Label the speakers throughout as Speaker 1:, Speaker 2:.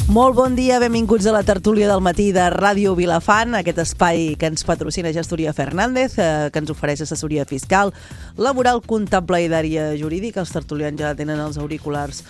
Speaker 1: Molt bon dia, benvinguts a la tertúlia del matí de Ràdio Vilafant, aquest espai que ens patrocina Gestoria Fernández, que ens ofereix assessoria fiscal, laboral, comptable i d'àrea jurídica. Els tertulians ja tenen els auriculars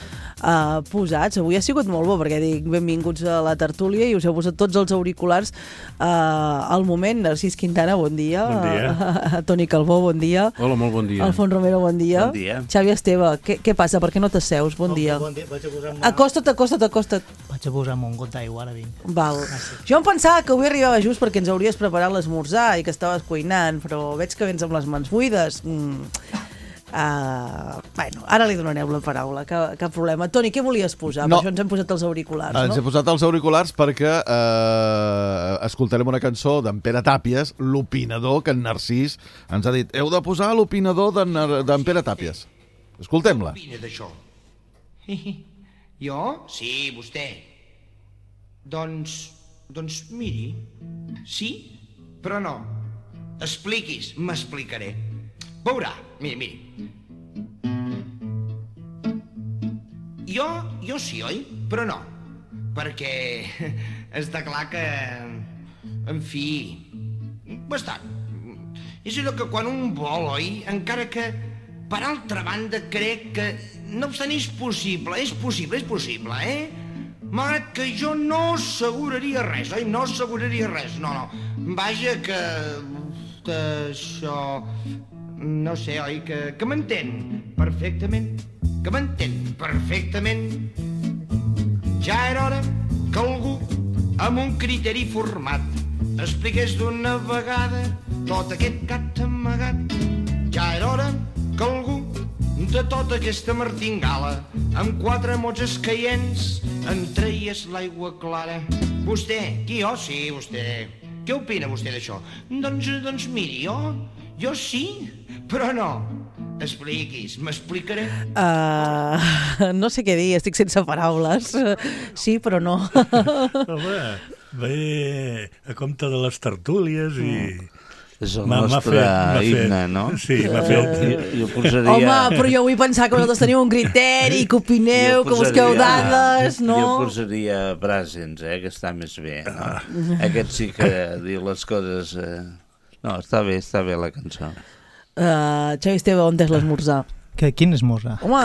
Speaker 1: posats. Avui ha sigut molt bo perquè dic benvinguts a la tertúlia i us heu posat tots els auriculars al moment. Narcís Quintana, bon dia.
Speaker 2: Bon dia.
Speaker 1: Toni Calbó, bon dia.
Speaker 2: Hola, molt bon dia.
Speaker 1: Alfons Romero, bon dia.
Speaker 3: Bon dia.
Speaker 1: Xavi Esteve, què passa? Per què no t'asseus? Bon dia.
Speaker 4: Bon dia. Vaig a posar-me...
Speaker 1: Acosta't.
Speaker 4: Vaig a posar-me un got d'aigua, ara vinc.
Speaker 1: Val. Jo em pensava que avui arribava just perquè ens hauries preparat l'esmorzar i que estaves cuinant, però veig que vens amb les mans buides. Bueno, ara li donareu la paraula, cap problema. Toni, què volies posar?
Speaker 5: No.
Speaker 1: Per això ens hem posat els auriculars, no?
Speaker 5: Ens hem posat els auriculars perquè escoltarem una cançó d'en Pere Tàpies, l'opinador, que en Narcís ens ha dit heu de posar l'opinador d'en Pere Tàpies. Escoltem-la.
Speaker 6: Què opina d'això? Jo? Sí, vostè. Doncs miri, sí, però no. Expliquis, m'explicaré. Veurà, miri. Jo sí, oi? Però no. Perquè està clar que... En fi... Bastant. És allò que quan un vol, oi? Encara que, per altra banda, crec que... No obstant, és possible, eh? Malgrat que jo no asseguraria res, oi? No asseguraria res, no. Vaja que això... No sé, oi? Que m'entén perfectament. Que m'entén perfectament. Ja era hora que algú, amb un criteri format, expliqués d'una vegada tot aquest gat amagat. Ja era hora que algú, de tota aquesta martingala, amb 4 mots escaients, en treies l'aigua clara. Vostè, qui jo? Sí, vostè. Què opina vostè d'això? Doncs miri, jo sí, però no. Expliquis, m'explicaré.
Speaker 1: No sé què dir, estic sense paraules. Sí, però no.
Speaker 2: Home, ve a compte de les tertúlies i...
Speaker 3: És el nostre himne, no?
Speaker 2: Sí, m'ha fet...
Speaker 3: Jo posaria...
Speaker 1: Home, però jo vull pensar que vosaltres teniu un criteri, que opineu, que busqueu dades, no?
Speaker 3: Jo posaria Brassens, que està més bé, no? Aquest sí que diu les coses... No, està bé la cançó.
Speaker 1: Xavi Esteve, on és l'esmorzar?
Speaker 4: Quin esmorzar?
Speaker 1: Home!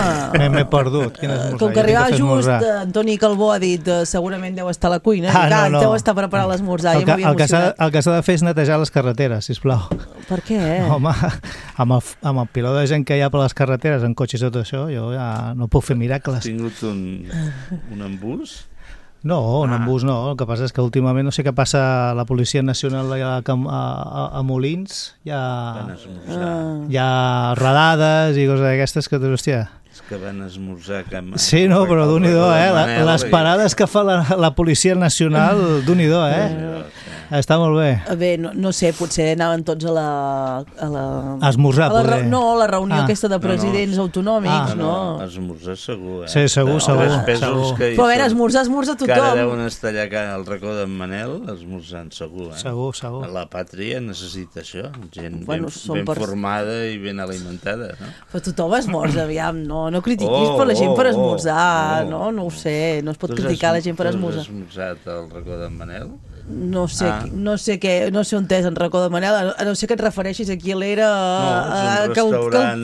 Speaker 4: M'he perdut. Quin esmorzar?
Speaker 1: Com que arribava just, Antoni Calbó ha dit segurament deu estar a la cuina, no. Deu estar preparant l'esmorzar.
Speaker 4: El que s'ha de fer és netejar les carreteres, sisplau.
Speaker 1: Per què?
Speaker 4: Home, amb el piló de gent que hi ha per les carreteres, en cotxes i tot això, jo ja no puc fer miracles.
Speaker 3: Has tingut un embús?
Speaker 4: No, un embús no. El que passa és que últimament no sé què passa a la Policia Nacional a Molins. Hi ha radades i coses d'aquestes que, hòstia...
Speaker 3: És que van esmorzar...
Speaker 4: Sí, no, però d'un-i-do, les parades que fa la Policia Nacional, d'un-i-do, Està molt bé.
Speaker 1: Bé, no sé, potser anaven tots a la...
Speaker 4: A esmorzar, poder.
Speaker 1: No, a la reunió aquesta de presidents autonòmics, no?
Speaker 3: Esmorzar segur,
Speaker 4: Sí, segur.
Speaker 1: Però a veure, esmorzar tothom.
Speaker 3: Que ara deuen estar allà al racó d'en Manel, esmorzant segur,
Speaker 4: Segur.
Speaker 3: La pàtria necessita això, gent ben formada i ben alimentada, no?
Speaker 1: Però tothom esmorza, aviam, no critiquis per la gent per esmorzar, no ho sé, no es pot criticar la gent per esmorzar.
Speaker 3: Tu has esmorzat al racó d'en Manel?
Speaker 1: No sé on és en racó de Manel, a no ser que et refereixis aquí a l'era que el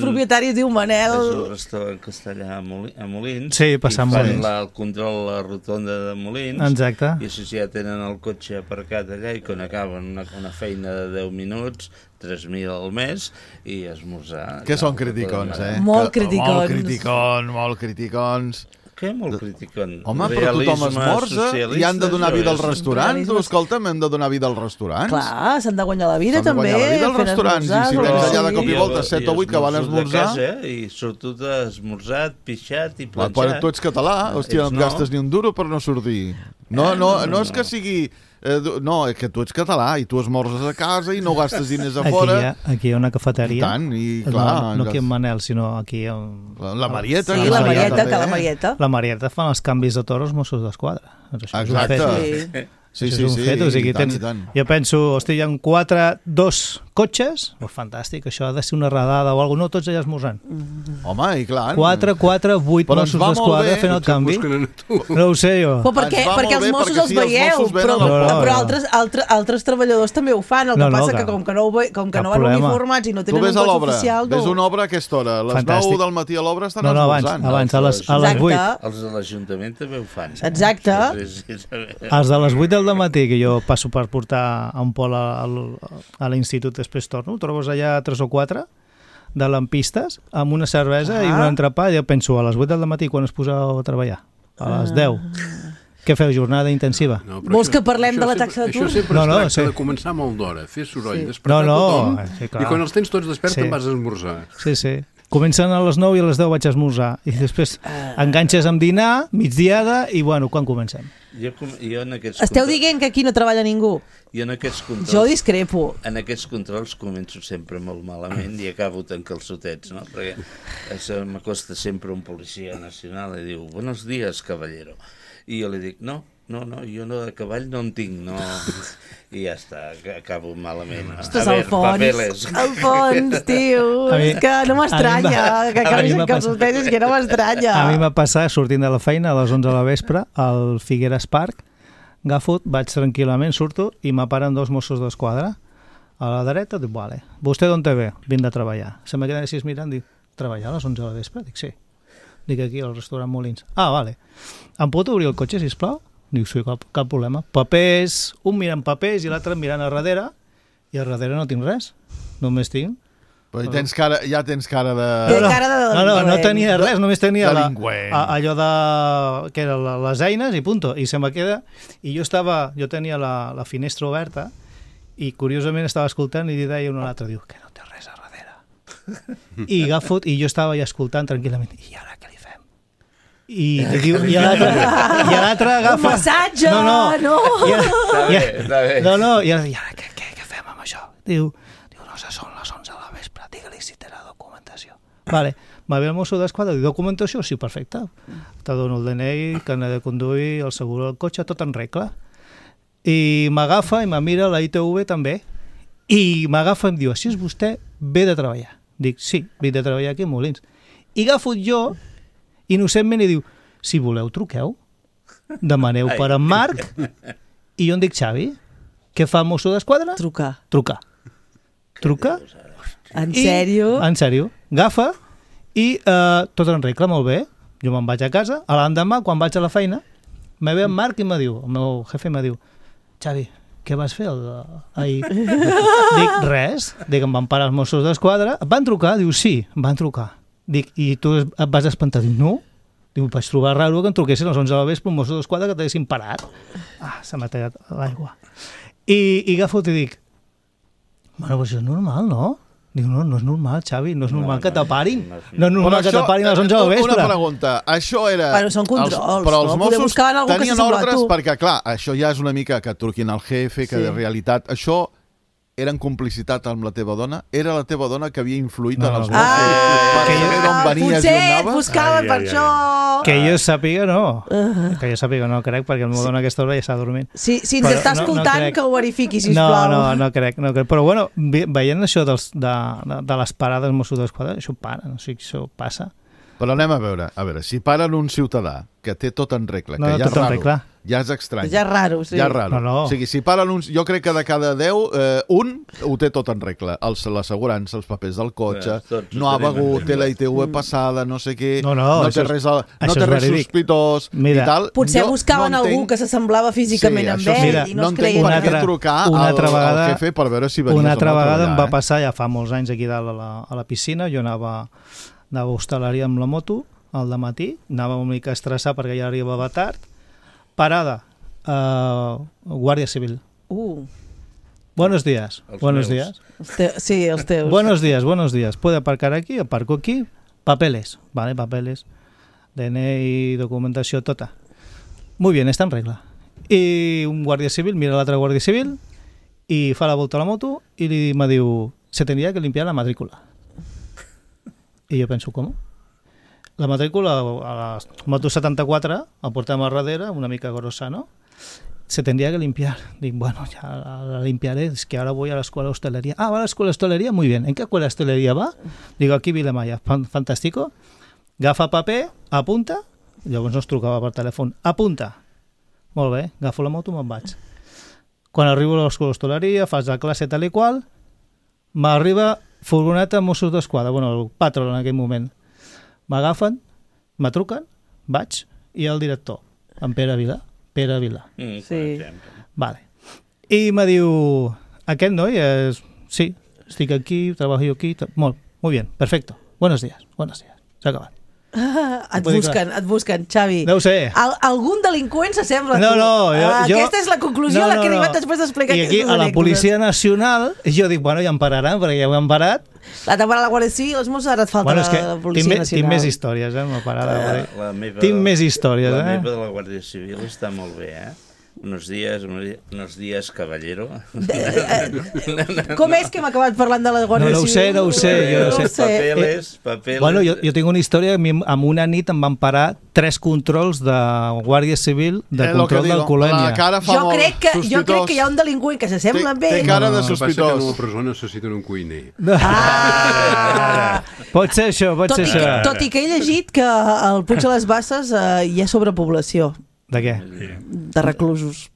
Speaker 1: propietari es diu Manel.
Speaker 3: És un restaurant que està allà a Molins.
Speaker 4: Sí, passant Molins.
Speaker 3: I fan el control a la rotonda de Molins.
Speaker 4: Exacte.
Speaker 3: I així ja tenen el cotxe aparcat allà i quan acaben una feina de 10 minuts, 3.000 al mes i esmorzar.
Speaker 5: Que són criticons,
Speaker 1: Molt criticons.
Speaker 5: Molt criticons.
Speaker 3: Què molt criticon?
Speaker 5: Home, però tothom esmorza i han de donar vida als restaurants. Escolta'm, hem de donar vida als restaurants.
Speaker 1: Clar, s'han de guanyar la vida també.
Speaker 5: S'han de guanyar la vida als restaurants. I si tens allà de cop i volta 7 o 8 que van a esmorzar...
Speaker 3: I sobretot esmorzat, pixat i planxat.
Speaker 5: Però tu ets català, hòstia, no et gastes ni un duro per no sortir. No és que sigui... No, és que tu ets català i tu esmorzes a casa i no gastes diners a fora.
Speaker 4: Aquí hi ha una cafeteria.
Speaker 5: I tant, i clar...
Speaker 4: No aquí en Manel, sinó aquí...
Speaker 5: La Marieta.
Speaker 1: Sí, la Marieta, que la Marieta.
Speaker 4: La Marieta fan els canvis de torn als Mossos d'Esquadra.
Speaker 5: Exacte. Sí,
Speaker 4: Això és un fet, o sigui,
Speaker 5: i tant.
Speaker 4: jo penso, hosti, hi ha 2 cotxes, fantàstic, això ha de ser una radada o alguna cosa, no, tots allà esmorzant.
Speaker 5: Home, i clar.
Speaker 4: 4, 8
Speaker 5: Però ens
Speaker 4: Mossos
Speaker 5: va molt
Speaker 4: d'Esquadra
Speaker 5: bé.
Speaker 4: fent el canvi.
Speaker 7: Busquen a tu.
Speaker 4: No ho sé jo.
Speaker 1: Però perquè
Speaker 5: Ens va molt
Speaker 1: els
Speaker 5: bé,
Speaker 1: Mossos
Speaker 5: perquè
Speaker 1: els
Speaker 5: sí, els
Speaker 1: veieu,
Speaker 5: Mossos venen
Speaker 1: però,
Speaker 5: al
Speaker 1: però
Speaker 5: poble.
Speaker 1: altres treballadors també ho fan, el que passa que com que no
Speaker 4: cap
Speaker 1: van
Speaker 4: problema.
Speaker 1: uniformats i no
Speaker 5: Tu
Speaker 1: tenen un
Speaker 5: ves a
Speaker 1: cotxe
Speaker 5: l'obra,
Speaker 1: oficial...
Speaker 5: ves una obra a aquesta hora, a les
Speaker 4: Fantàstic.
Speaker 5: 9 del matí a l'obra estan
Speaker 4: No,
Speaker 5: esmorzant.
Speaker 4: abans, a les
Speaker 1: Exacte.
Speaker 4: 8.
Speaker 3: Els de l'Ajuntament també ho fan.
Speaker 1: Exacte.
Speaker 3: Sí.
Speaker 4: Els de les 8 del matí, que jo passo per portar a un pol a l'institut, després torno, trobes allà 3 o 4 de lampistes amb una cervesa i un entrepà, i jo penso, a les 8 del matí quan es poseu a treballar? A les 10. Què feu, jornada intensiva?
Speaker 7: No, però
Speaker 1: Vols que parlem de la taxa d'atur?
Speaker 7: Això sempre
Speaker 4: No,
Speaker 7: es tracta
Speaker 4: sí.
Speaker 7: de començar molt d'hora, fer soroll,
Speaker 1: Sí.
Speaker 7: despertar tothom,
Speaker 4: sí, clar.
Speaker 7: i quan els tens tots desperts
Speaker 4: Sí.
Speaker 7: te'n vas a esmorzar.
Speaker 4: Sí. Comencen a les 9 i a les 10 vaig a esmorzar. I després enganxes amb dinar, migdiada, i bueno, quan comencem?
Speaker 3: Jo en aquests
Speaker 1: Esteu
Speaker 3: controls-
Speaker 1: dient que aquí no treballa ningú?
Speaker 3: Jo en aquests controls...
Speaker 1: Jo discrepo.
Speaker 3: En aquests controls començo sempre molt malament i acabo tan calçotets, no? Perquè m'acosta sempre un policia nacional i diu, buenos días, caballero. I jo li dic, no, jo no, de cavall no en tinc, no. I ja està, acabo malament.
Speaker 1: Ostres, Alfons, tio, és que no m'estranya que acabis en calçotets, és que no m'estranya.
Speaker 4: A mi m'ha passat, sortint de la feina a les 11 de la vespre, al Figueres Park, agafo, vaig tranquil·lament, surto, i m'aparen 2 Mossos d'Esquadra. A la dreta, dic, vale, vostè d'on te ve? Vinc de treballar. Se me queden així mirant, dic, treballar a les 11 de la vespre? Dic, sí. Dic, aquí, al restaurant Molins. Ah, vale. Em pot obrir el cotxe, sisplau? Dic, sí, cap problema. Papers, un mirant papers i l'altre mirant a darrere, i a darrere no tinc res. Només tinc...
Speaker 5: Però ja tens cara de...
Speaker 1: Té cara de delinqüent.
Speaker 4: No tenia res, només tenia
Speaker 5: Delinqüent.
Speaker 4: allò de... que eren les eines i punto. I se me queda... I jo tenia la finestra oberta i curiosament estava escoltant i deia un a l'altre, diu, que no té res a darrere. I agafo, i jo estava ja escoltant tranquil·lament. I ara què li fem? I l'altre agafa...
Speaker 1: Un massatge,
Speaker 4: no.
Speaker 3: Està bé.
Speaker 4: I ara què fem amb això? Diu, no sé, són les 11 de la vespre, digue-li si té la documentació. Vale, va ve el mosso d'Esquadra, diu, documentació? Sí, perfecte. Te dono el DNI, carnet de conduir, el seguro del cotxe, tot en regla. I m'agafa i me mira la ITV també. I m'agafa i em diu, si és vostè, ve de treballar. Dic, sí, ve de treballar aquí a Molins. I agafo jo, innocentment, i diu, si voleu, truqueu. Demaneu per en Marc. I jo em dic, Xavi, què fa el mosso d'Esquadra? Trucar.
Speaker 1: En sèrio?
Speaker 4: En sèrio. Agafa i tot en regla, molt bé. Jo me'n vaig a casa. A l'endemà, quan vaig a la feina, me ve en Marc i me diu, el meu jefe me diu, Xavi, què vas fer ahir? Dic, res. Dic, em van parar els Mossos d'Esquadra. Et van trucar? Diu, sí, em van trucar. Dic, i tu et vas espantar? Dic, no. Diu, vaig trobar raro que em truquessin a les 11 de la vespre un Mosso d'Esquadra que t'haguessin parat. Se m'ha tallat l'aigua. I agafo i dic, bueno, però això és normal, no? Diu, no és normal, Xavi, no és normal que t'aparin. No és normal que t'aparin a les 11 de la vespre.
Speaker 5: Una pregunta, això era...
Speaker 1: Bueno, són controls,
Speaker 5: però els
Speaker 1: no? Poder
Speaker 5: Mossos
Speaker 1: buscar algú que
Speaker 5: tenien
Speaker 1: s'assembla a
Speaker 5: ordres
Speaker 1: tu.
Speaker 5: perquè, clar, això ja és una mica que et truquin al jefe, que
Speaker 1: Sí.
Speaker 5: de realitat... Això era en complicitat amb la teva dona? Era la teva dona que havia influït en els Mossos per saber d'on venies i on
Speaker 1: potser et
Speaker 5: anaves?
Speaker 1: buscaven per això.
Speaker 4: Que jo sàpiga, no. Que jo sàpiga, no crec, perquè el meu dona a aquesta hora ja està dormint.
Speaker 1: Si ens
Speaker 4: Però
Speaker 1: està
Speaker 4: no
Speaker 1: escoltant,
Speaker 4: crec.
Speaker 1: que ho verifiqui, sisplau.
Speaker 4: No crec. Però bueno, veient això de les parades Mossos d'Esquadra, això para, no sé si això passa.
Speaker 5: Però anem a veure, si paren un ciutadà que té tot en regla, que
Speaker 4: No,
Speaker 5: ja és
Speaker 4: tot en
Speaker 5: raro,
Speaker 4: regla.
Speaker 5: ja és estrany.
Speaker 1: Ja és raro, sí.
Speaker 5: Ja és raro.
Speaker 4: No.
Speaker 5: O sigui, si paren uns... Jo crec que de cada 10, un ho té tot en regla. L'assegurança, els papers del cotxe,
Speaker 3: Tots ho
Speaker 5: no ha
Speaker 3: tenim en
Speaker 5: begut, té
Speaker 3: regla.
Speaker 5: la ITV passada, no sé què,
Speaker 4: No,
Speaker 5: no
Speaker 4: això
Speaker 5: té
Speaker 4: és-
Speaker 5: res,
Speaker 4: això
Speaker 5: no té
Speaker 4: és
Speaker 5: res
Speaker 4: verídic.
Speaker 5: sospitós
Speaker 4: Mira,
Speaker 5: i tal.
Speaker 1: Potser
Speaker 5: Jo
Speaker 1: buscaven
Speaker 5: no
Speaker 1: algú
Speaker 5: entenc-
Speaker 1: que s'assemblava físicament amb
Speaker 5: això
Speaker 1: ell
Speaker 4: Mira,
Speaker 1: i
Speaker 5: no
Speaker 1: no es
Speaker 5: entenc
Speaker 1: creien.
Speaker 5: per
Speaker 4: Una
Speaker 5: què
Speaker 4: altra-
Speaker 5: trucar
Speaker 4: una
Speaker 5: al
Speaker 4: altra vegada-
Speaker 5: jefe per veure si venies
Speaker 4: Una
Speaker 5: o
Speaker 4: altra
Speaker 5: no a
Speaker 4: vegada em
Speaker 5: treballar,
Speaker 4: va passar, ja fa molts anys aquí dalt a la piscina, jo anava a hostaleria amb la moto al dematí, anava una mica estressat perquè ja arribava tard, parada, Guàrdia Civil. Buenos días.
Speaker 3: Els
Speaker 4: Buenos
Speaker 3: meus.
Speaker 4: días.
Speaker 1: Sí, els teus.
Speaker 4: Buenos días. ¿Puede aparcar aquí? Aparco aquí. Papeles. Vale, papeles. DNI, documentació, tota. Muy bien, està en regla. I un guàrdia civil mira l'altre guàrdia civil i fa la volta a la moto i me diu, se tendría que limpiar la matrícula. I jo penso, com? La matrícula a la moto 74 la portem a darrere, una mica grossa, no? se tendría que limpiar. Digo, bueno, ya la limpiaré, es que ahora voy a la escuela de hostelería. Ah, va a la escuela de hostelería, muy bien. ¿En qué escuela de hostelería va? Digo, aquí Vilamalla, fantàstico. Agafa paper, apunta, llavors no es trucava per telèfon, apunta. Molt bé, agafo la moto i me'n vaig. Quan arribo a l'escola d'hostaleria, fas la classe tal i qual, m'arriba furgoneta Mossos d'Esquadra, bueno, el patró en aquell moment. M'agafen, me truquen, vaig, i el director, en Pere Vila.
Speaker 1: Sí.
Speaker 4: Vale. I me diu, aquest noi és... Sí, estic aquí, treballo aquí... Molt bien, perfecto. Buenos días. S'ha acabat.
Speaker 1: Et busquen, Xavi.
Speaker 4: No ho sé.
Speaker 1: Algun delinqüent s'assembla a tu.
Speaker 4: No,
Speaker 1: aquesta és la conclusió a la que he arribat després d'explicar
Speaker 4: I
Speaker 1: aquestes
Speaker 4: aquí, a la
Speaker 1: anècdotes.
Speaker 4: Policia Nacional, jo dic, bueno, ja em pararan, perquè ja ho han parat.
Speaker 1: La temporada de la Guàrdia Civil, els Mossos, ara et falta
Speaker 4: Bueno, és que
Speaker 1: la Policia Nacional.
Speaker 4: tinc més històries, no parada. Tinc més històries,
Speaker 3: La meva de la Guàrdia Civil està molt bé, Unos días, caballero.
Speaker 1: Com és que hem acabat parlant de la Guàrdia Civil?
Speaker 4: No ho sé, jo no sé.
Speaker 3: Papeles...
Speaker 4: Bueno, jo tinc una història, amb una nit em van parar 3 controls de Guàrdia Civil de control d'alcoholèmia.
Speaker 1: Jo crec que hi ha un delinqüent que s'assembla amb ell.
Speaker 5: Té cara de
Speaker 7: El que passa que
Speaker 5: sospitós.
Speaker 7: a la presó necessiten un cuiner.
Speaker 4: Pot ser això.
Speaker 1: Tot i que he llegit que al Puig de les Basses hi ha sobrepoblació
Speaker 4: De què?
Speaker 1: de reclusos.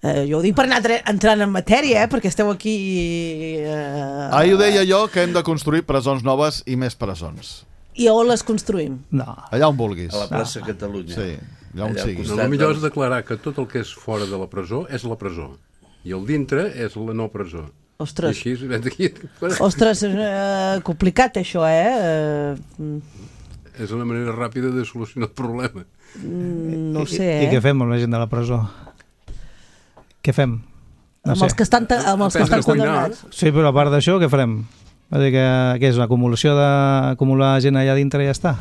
Speaker 1: Jo ho dic per anar entrant en matèria, perquè esteu aquí...
Speaker 5: Ahir ho deia jo, que hem de construir presons noves i més presons.
Speaker 1: I on les construïm?
Speaker 4: No.
Speaker 5: Allà on vulguis.
Speaker 3: A la plaça Catalunya.
Speaker 5: Sí, allà on sigui.
Speaker 7: El millor és declarar que tot el que és fora de la presó és la presó. I el dintre és la no presó.
Speaker 1: Ostres.
Speaker 7: I així, aquí...
Speaker 1: Ostres, complicat això,
Speaker 7: És una manera ràpida de solucionar el problema.
Speaker 1: No ho sé,
Speaker 4: I què fem amb la gent de la presó? Què fem? No
Speaker 1: amb els que estan
Speaker 7: Aprendre a cuinar.
Speaker 1: condemnats.
Speaker 4: Sí, però a part d'això, què farem? Va dir que és l'acumulació d'acumular gent allà dintre i ja està?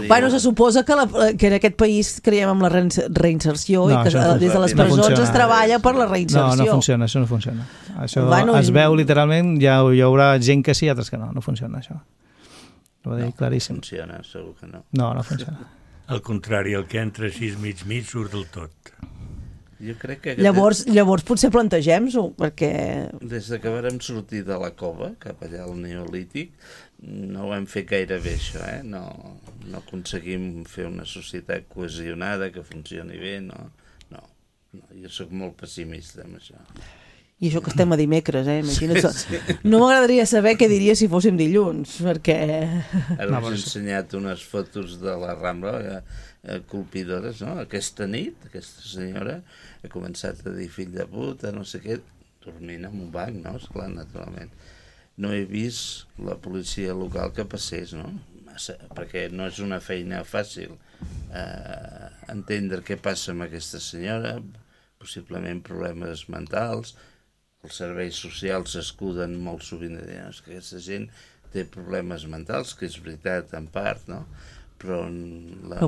Speaker 1: Bueno, se suposa que en aquest país creiem en la reinserció i que des de les
Speaker 4: No
Speaker 1: presons
Speaker 4: funciona.
Speaker 1: es treballa per la reinserció.
Speaker 4: No funciona, això no funciona. Això
Speaker 1: Bueno,
Speaker 4: es veu literalment, hi haurà gent que sí i altres que no funciona això. Ho va dir claríssim.
Speaker 3: Funciona, segur que no.
Speaker 4: No funciona.
Speaker 2: Al contrari, el que entra així mig surt del tot.
Speaker 3: Jo crec que...
Speaker 1: Llavors potser plantegem-ho, perquè...
Speaker 3: Des que vàrem sortir de la cova, cap allà al Neolític, no ho hem fet gaire bé, això, No aconseguim fer una societat cohesionada, que funcioni bé, no. Jo sóc molt pessimista amb això.
Speaker 1: I això que estem a dimecres, imagina't. No m'agradaria saber què diria si fóssim dilluns, perquè...
Speaker 3: Ara us he ensenyat unes fotos de la Rambla colpidores, no? Aquesta nit, aquesta senyora ha començat a dir fill de puta, no sé què, dormint en un banc, no? Esclar, naturalment. No he vist la policia local que passés, no? Perquè no és una feina fàcil entendre què passa amb aquesta senyora, possiblement problemes mentals. Els serveis socials s'escuden molt sovint de dir que aquesta gent té problemes mentals, que és veritat en part, no? Però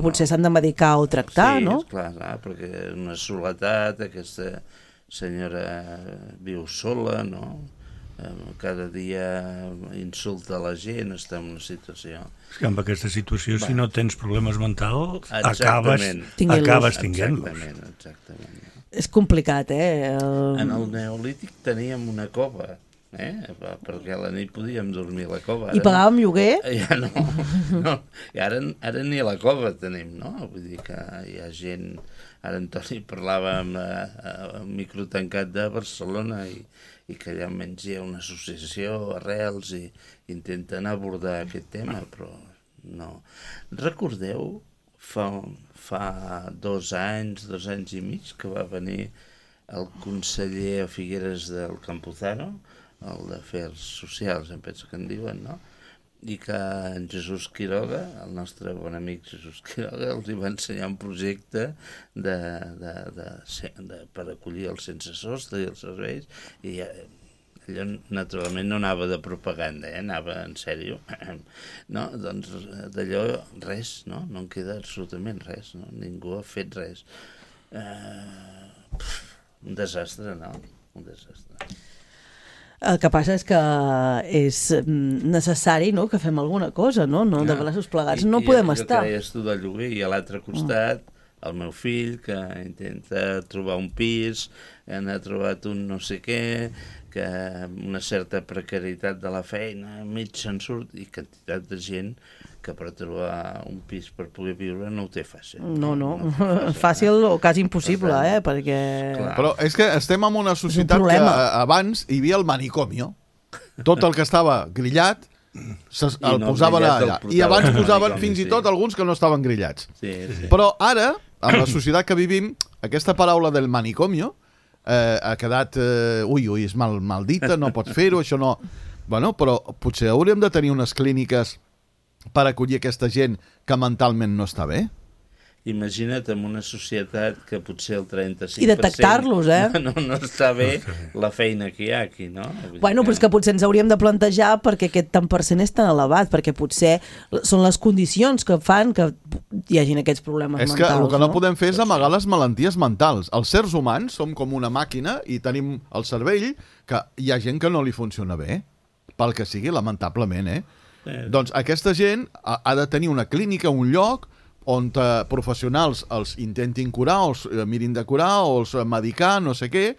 Speaker 1: potser s'han de medicar o tractar, no?
Speaker 3: Sí, clar, perquè una soledat, aquesta senyora viu sola, no? Cada dia insulta la gent, està en una situació...
Speaker 2: És que amb aquesta situació, si no tens problemes mentals,
Speaker 3: Exactament.
Speaker 2: acabes tinguent-los.
Speaker 3: Exactament.
Speaker 1: És complicat,
Speaker 3: En el Neolític teníem una cova, perquè a la nit podíem dormir a la cova.
Speaker 1: I pagàvem lloguer?
Speaker 3: Ja no. I ara ni a la cova tenim, no? Vull dir que hi ha gent... Ara en Toni parlava amb el micro tancat de Barcelona i que allà almenys hi ha una associació, Arrels, i intenten abordar aquest tema, però no. Recordeu, fa 2 anys i mig, que va venir el conseller a Figueres del Campuzano, el d'Afers Socials, em penso que en diuen, no? I que en Jesús Quiroga, el nostre bon amic Jesús Quiroga, els va ensenyar un projecte per acollir els sense sostre i els serveis, i allò naturalment no anava de propaganda, anava en sèrio, no? Doncs d'allò res, no? No en queda absolutament res, no? Ningú ha fet res. Un desastre, no? Un desastre.
Speaker 1: El que passa és que és necessari, no?, que fem alguna cosa, no? De braços plegats no podem estar.
Speaker 3: Jo que deies tu del lloguer, i a l'altre costat el meu fill, que intenta trobar un pis, ha trobat un no sé què, que una certa precarietat de la feina, mig se'n surt, i quantitat de gent que per trobar un pis per poder viure no ho té fàcil.
Speaker 1: No. Fàcil o quasi impossible, perquè...
Speaker 3: Clar.
Speaker 5: Però és que estem en una societat que abans hi havia el manicomio. Tot el que estava grillat el posaven allà. I abans posaven fins i tot alguns que no estaven grillats.
Speaker 3: Sí.
Speaker 5: Però ara, amb la societat que vivim, aquesta paraula del manicomio ha quedat... és mal dita, no pots fer-ho, això no... Bueno, però potser hauríem de tenir unes clíniques per acollir aquesta gent que mentalment no està bé.
Speaker 3: Imagina't en una societat que potser el 35%
Speaker 1: I detectar-los,
Speaker 3: no està bé la feina que hi ha aquí, no?
Speaker 1: Bueno, però és que potser ens hauríem de plantejar perquè aquest tant per cent és tan elevat, perquè potser són les condicions que fan que hi hagin aquests problemes mentals.
Speaker 5: És que el que no podem fer és amagar les malalties mentals. Els sers humans som com una màquina i tenim el cervell que hi ha gent que no li funciona bé, pel que sigui, lamentablement, Doncs aquesta gent ha de tenir una clínica, un lloc on professionals els intentin curar, o els mirin de curar, o els medicar, no sé què,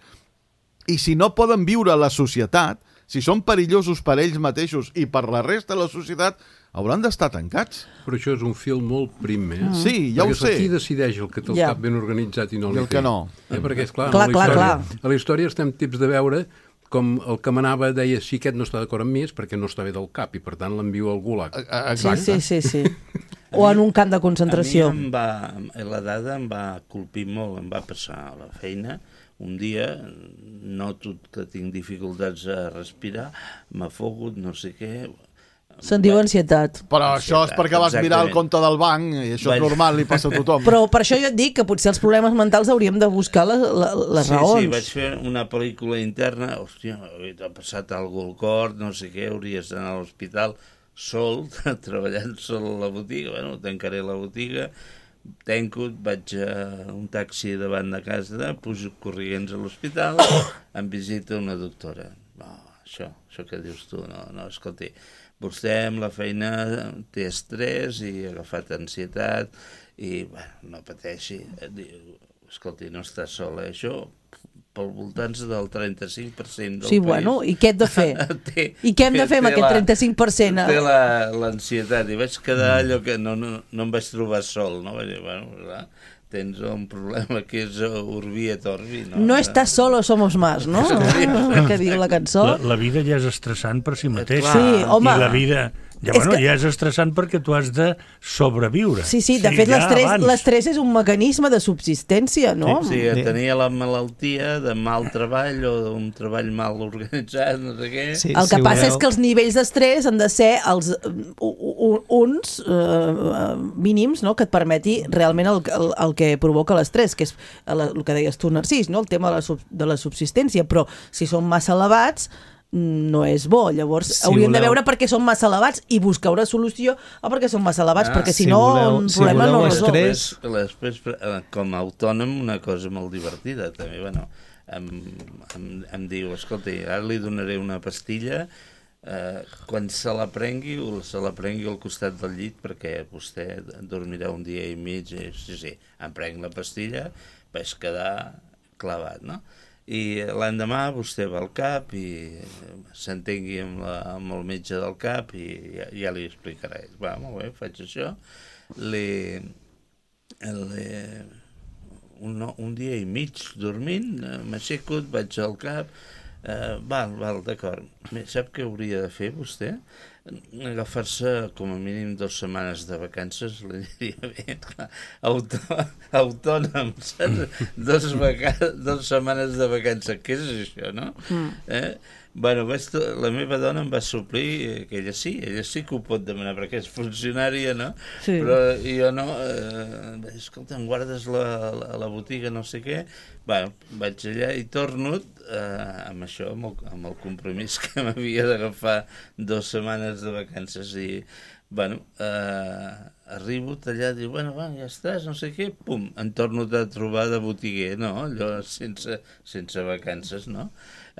Speaker 5: i si no poden viure a la societat, si són perillosos per ells mateixos i per la resta de la societat, hauran d'estar tancats.
Speaker 7: Però això és un fil molt prim,
Speaker 5: Sí, ja ho sé.
Speaker 7: Perquè qui decideix el que té el cap ben organitzat i no
Speaker 5: I el que no.
Speaker 7: Perquè, esclar,
Speaker 1: clar.
Speaker 7: A la història estem tips de veure com el que manava deia si aquest no està d'acord amb mi és perquè no està bé del cap i per tant l'envio al gulag.
Speaker 5: Exacte.
Speaker 1: Sí. O en un camp de concentració.
Speaker 3: A mi la dada em va colpir molt, em va passar a la feina. Un dia noto que tinc dificultats a respirar, m'afogo, no sé què...
Speaker 1: Se'n diu ansietat.
Speaker 5: Però això és perquè vas mirar el compte del banc i això és normal, li passa a tothom.
Speaker 1: Però per això jo et dic que potser els problemes mentals hauríem de buscar les raons.
Speaker 3: Sí, vaig fer una pel·lícula interna, hòstia, t'ha passat alguna al cor, no sé què, hauries d'anar a l'hospital sol, treballant sol a la botiga, bueno, tancaré la botiga, tanco, vaig a un taxi davant de casa, pujo corrients a l'hospital, em visita una doctora. No, això que dius tu, no, escolti, vostè amb la feina té estrès i ha agafat ansietat i, bueno, no pateixi. Escolti, no està sola, això pel voltant del 35% del país.
Speaker 1: Sí, bueno, i què hem de fer? I què hem de fer amb aquest 35%?
Speaker 3: Té l'ansietat i vaig quedar allò que no em vaig trobar sol, no? Vaig dir, bueno, clar, tens un problema que és Urbi et Orbi, no?
Speaker 1: No estàs solo, somos más, no? Que diu la cançó.
Speaker 2: La vida ja és estressant per si mateix.
Speaker 1: Sí, home.
Speaker 2: I la vida... Ja és estressant perquè tu has de sobreviure.
Speaker 1: Sí, de fet l'estrès és un mecanisme de subsistència, no?
Speaker 3: Sí, tenia la malaltia de mal treball o d'un treball mal organitzat, no sé què.
Speaker 1: Sí, el que passa és que els nivells d'estrès han de ser uns mínims, no?, que et permeti realment el que provoca l'estrès, que és el que deies tu, Narcís, no?, el tema de la subsistència, però si són massa elevats no és bo, llavors hauríem de veure per què són massa elevats i buscar una solució a per què són massa elevats, perquè si no un problema no resol.
Speaker 3: Després, com a autònom, una cosa molt divertida també, bueno, em diu, escolta, ara li donaré una pastilla, quan se la prengui al costat del llit perquè vostè dormirà un dia i mig, sí, em prenc la pastilla, vaig quedar clavat, no? I l'endemà vostè va al CAP i s'entengui amb el metge del CAP i ja li explicaré. Va, molt bé, faig això. Un dia i mig dormint, m'aixeco, vaig al CAP, val, d'acord. Sap què hauria de fer vostè? Agafar-se com a mínim 2 setmanes de vacances, li diria bé, autònom, saps? 2 setmanes de vacances, què és això, no? Bueno, la meva dona em va suplir que ella sí que ho pot demanar perquè és funcionària, no? Sí. Però jo no, escolta, em guardes la botiga, no sé què. Bueno, vaig allà i torno amb això, amb el compromís que m'havia d'agafar 2 setmanes de vacances i bueno, arribo allà, diu, bueno, va, ja estàs, no sé què, pum, em torno a trobar de botiguer, no? Allò sense vacances, no?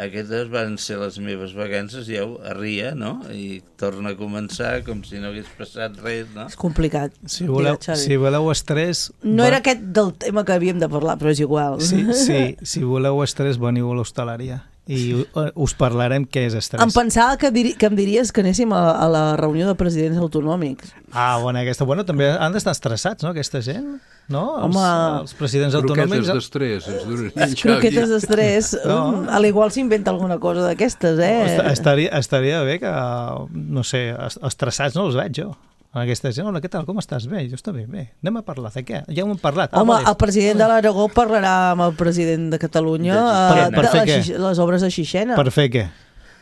Speaker 3: Aquestes van ser les meves vacances, ja arria, no? I torna a començar com si no hagués passat res, no?
Speaker 1: És complicat.
Speaker 4: Si voleu estrès...
Speaker 1: No era aquest del tema que havíem de parlar, però és igual.
Speaker 4: Sí, si voleu estrès, veniu a l'hostaleria i us parlarem què és estrès.
Speaker 1: Em pensava que em diries que anéssim a la reunió de presidents autonòmics.
Speaker 4: Bueno, també han d'estar estressats, no, aquesta gent? No? Els presidents autonòmics...
Speaker 7: Croquetes d'estrès, ens donen en Xavi.
Speaker 1: Croquetes d'estrès, a l'igual s'inventa alguna cosa d'aquestes,
Speaker 4: Estaria bé que, no sé, estressats no els veig jo. Aquesta gent, hola, què tal, com estàs? Bé, jo està bé. Anem a parlar de què? Ja ho hem parlat.
Speaker 1: Home, el president de l'Aragó parlarà amb el president de Catalunya de les obres de Xixena.
Speaker 4: Per fer què?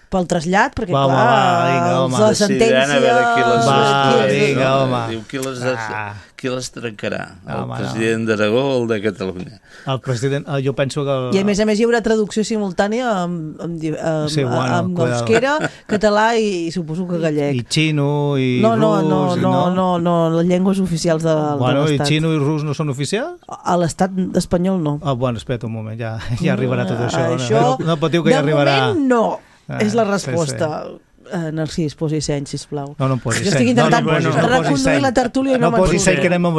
Speaker 1: Pel trasllat, perquè la sentència...
Speaker 3: Qui les trencarà? El president d'Aragó o el de Catalunya?
Speaker 4: El president, jo penso que...
Speaker 1: I a més hi haurà traducció simultània amb euskera, català i suposo que gallec.
Speaker 4: I xino i rus...
Speaker 1: No, les llengües oficials de l'Estat.
Speaker 4: I xino i rus no són oficials?
Speaker 1: A l'Estat espanyol no.
Speaker 4: Bueno, espera't un moment, ja arribarà tot això. No patiu que ja arribarà...
Speaker 1: De moment no. És la resposta. Narcís, posi seny, sisplau.
Speaker 4: No posi seny.
Speaker 1: Jo estic intentant reconduir la tertúlia i no
Speaker 4: me'n posi seny, que anem molt